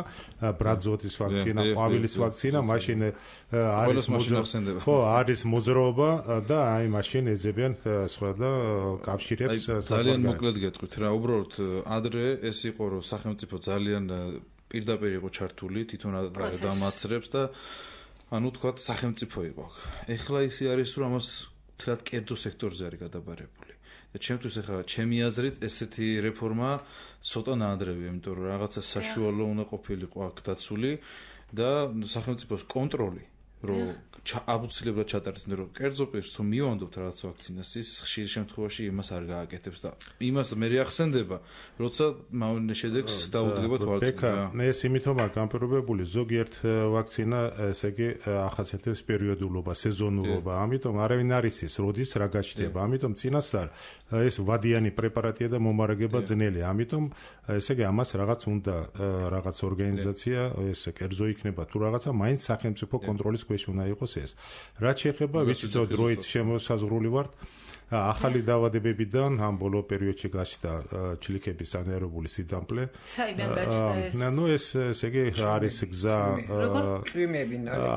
Speaker 4: ბრაძოთის ვაქცინა, ყვავილის ვაქცინა, მაშინ არის მოძრაობა და აი მაშინ ეძებიან სხვა და კავშირებს
Speaker 6: ძალიან მოკლედ გეტყვით რა უბრალოდ ადრე ეს იყო რომ სახელმწიფო ძალიან პირდაპირ იყო ჩართული თვითონ დამაცრებს და ანუ თქვა სახელმწიფო იყო. ეხლა ისე არის რომ ამას თლად კერძო სექტორზე არის გადაბარებული. და ჩემთვის ეხლა ჩემი აზრით ესეთი რეფორმა ცოტა ნაადრევია, იმიტომ რომ რაღაცა საშუალო უნდა ყოფილიყო აქ დაცული და სახელმწიფოს კონტროლი რომ აუცილებლად ჩატარდეს, რომ კერძო პირს თუ მივანდობთ რაღაც ვაქცინას, ის ხშირ შემთხვევაში იმას არ გააკეთებს და იმას მე ახსენდება, როცა მავნე შედეგს დაუდგებოთ ვაქცინა.
Speaker 4: ეს იმითომაა განპირობებული ზოგიერთ ვაქცინა, ესე იგი ახასიათებს პერიოდულობა, სეზონურობა, ამიტომ არავინ არ იცის, როდის რა გაჩნდება. ამიტომ წინასწარ ეს ვადიანი პრეპარატია და მომარაგება ძნელია. ამიტომ ესე იგი ამას რაღაც უნდა რაღაც ორგანიზაცია, ეს კერძო იქნება თუ რაღაცა, მაინც სახელმწიფო კონტროლის ქვეშ უნდა იყოს ეს. რაც შეეხება ვიცით რომ დროით შემოსაზღვრული ვართ ახალი დაავადებებიდან ამ ბოლო პერიოდში გაჩნდა ჩლიქების ანაერობული სიდამპლე.
Speaker 2: საიდან გაჩნდა ეს?
Speaker 4: ნუ ესე იგი არის გზა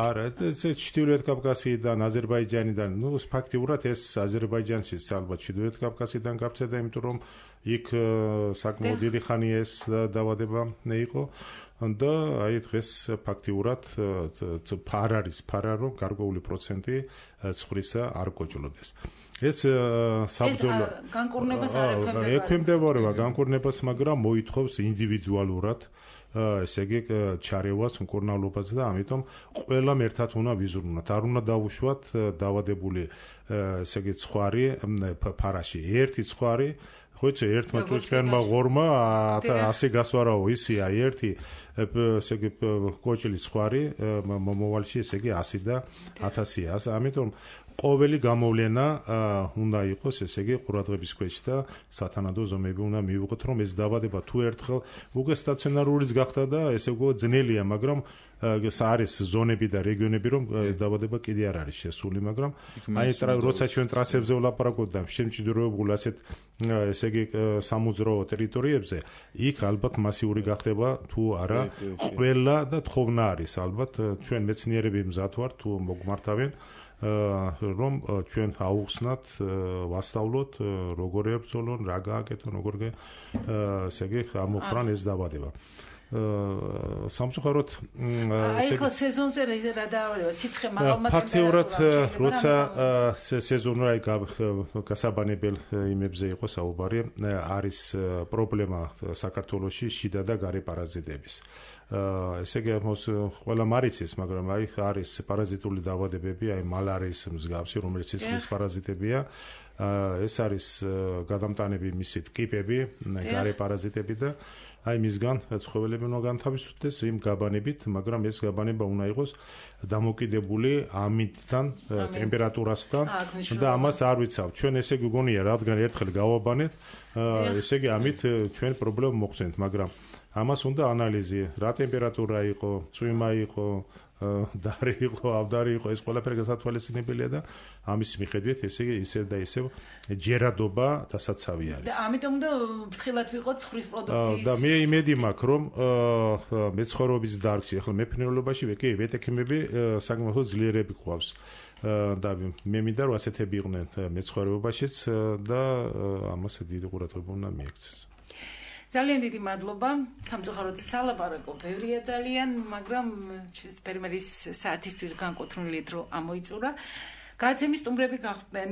Speaker 4: არა ეს ჩრდილოეთ კავკასიიდან, აზერბაიჯანიდან, ნუ ფაქტიურად ეს აზერბაიჯანში ალბათ ჩრდილოეთ კავკასიიდან გავრცელდა, იმიტომ რომ იქ საკმაოდ დიდი ხანი ეს დაავადება იყო. და აი დღეს ფაქტიურად არ არის ფარა რომ გარკვეული პროცენტი ცხრისა არ გოჭლოდეს. ეს საბრძოლო
Speaker 2: განკურნებას არ
Speaker 4: ექვემდებარება განკურნებას, მაგრამ მოითხოვს ინდივიდუალურად ესე იგი ჩარევას მკურნალობაზე და ამიტომ ყველამ ერთად უნდა ვიზრუნოთ. არ უნდა დავუშვათ დაავადებული ესე იგი ცხვარი ფარაში. ერთი ცხვარი ხოიცი ერთმა ჭუჭქერმა ღორმა 100 გასვარაო ისია ერთი ესე იგი კოჭლის ცხვარი მომავალში ესე იგი 100 და 1000-ია. ამიტომ ყოველი გამოვლენა უნდა იყოს ესე იგი ყურადღების ქვეშ და სათანადო ზომები უნდა მივიღოთ რომ ეს დაავადება თუ ერთხელ უკვე სტაციონარულიც გახდა და ესე უკვე ძნელია, მაგრამ არის ზონები და რეგიონები რომ ეს დაავადება კიდე არ არის შესული, მაგრამ აი როცა ჩვენ ტრასებზე ვლაპარაკობთ და შემჭიდროებულ ასეთ ესე იგი სამოძრაო ტერიტორიებზე, იქ ალბათ მასიური გახდება თუ არა ყველა და თხოვნა არის ალბათ ჩვენ მეცნიერები მზად ვართ თუ მოგმართავენ რომ ჩვენ აუხსნათ, ვასწავლოთ როგორ ებრძოლონ, რა გააკეთონ, როგორ ესე იგი ამოხრან ეს დაავადება. სამწუხაროდ
Speaker 2: აი ხო სეზონზე რა დაავადება, სიცხე მაღალმა ტემპერატურაში.
Speaker 4: ფაქტიურად როცა სეზონური გასაბანებელ იმებზე იყო საუბარი, არის პრობლემა საქართველოში შიდა და გარე პარაზიტების. ესე იგი ყველა მარიცის, მაგრამ აი არის პარაზიტული დაავადებები, აი მალარიის მსგავსი, რომელიც სისხლის პარაზიტებია. ეს არის გადამტანები მისი ტკიპები, გარე პარაზიტები და აი მისგან ცხოველები უნდა განთავისუფლდეს იმ გაბანებით, მაგრამ ეს გაბანება უნდა იყოს დამოკიდებული ამინდთან, ტემპერატურასთან და ამას არ ვიცავ. ჩვენ ესე გიგონია, რადგან ერთხელ გავაბანეთ, ესე იგი ამით ჩვენ პრობლემა მოხსენთ, მაგრამ ამას უნდა ანალიზი, რა ტემპერატურა იყო, წვიმა იყო, დარი იყო, ავდარი იყო, ეს ყველაფერი გასათვალისწინებელია და ამის მიხედვით ესე იგი ისევ და ისევ ჯერადობა დასაცავი არის.
Speaker 2: და ამიტომ უნდა ფრთხილად ვიყოთ ცხვრის პროდუქციის.
Speaker 4: და მე იმედი მაქვს, რომ მეცხოველობის დარგში, ახლა მეფრინველობაში კი ვეტექიმები საკმაოდ ძლიერები გვყავს. და მე მინდა რომ ასეთები იყვნენ მეცხოველობაშიც და ამას დიდი ყურადღება უნდა მიექცეს.
Speaker 2: ძალიან დიდი მადლობა. სამწუხაროდ სალაპარაკო ბევრია ძალიან, მაგრამ ფერმერის საათისთვის განკუთვნილი დრო ამოიწურა. გადაცემის სტუმრები გახდნენ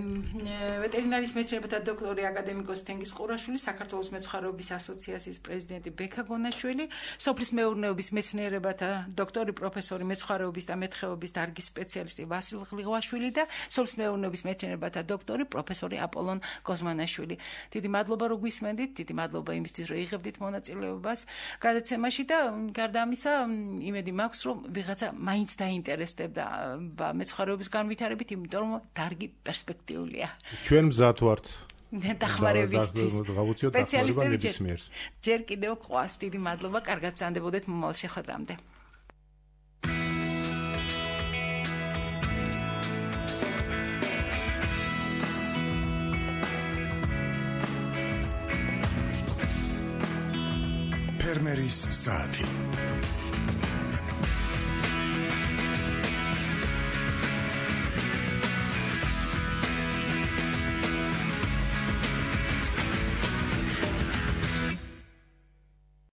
Speaker 2: ვეტერინარის მეცნიერებათა დოქტორი აკადემიკოს თენგიზ ყურაშვილი, საქართველოს მეცხვარეობის ასოციაციის პრეზიდენტი ბექა გონაშვილი, სოფლის მეურნეობის მეცნიერებათა დოქტორი, პროფესორი, მეცხვარეობის და მეთხვეობის დარგის სპეციალისტი ვასილ ღლიღვაშვილი და სოფლის მეურნეობის მეცნიერებათა დოქტორი, პროფესორი აპოლონ გოზმანაშვილი. დიდი მადლობა რომ გვისმენდით, დიდი მადლობა იმისთვის რომ იღებდით მონაწილეობას გადაცემაში და გარდა ამისა იმედი მაქვს რომ ვიღაცა მაინც დაინტერესდებდა მეცხვარეობის განვითარებით, იმიტომ რომ დარგი პერსპექტიულია.
Speaker 4: ჩვენ მზად ვართ
Speaker 2: დახმარებისთვის.
Speaker 4: სპეციალისტები
Speaker 2: ჯერ კიდევ ყავს. დიდი მადლობა, კარგად ბრძანდებოდეთ მომავალ შეხვედრამდე.
Speaker 10: ფერმერის საათი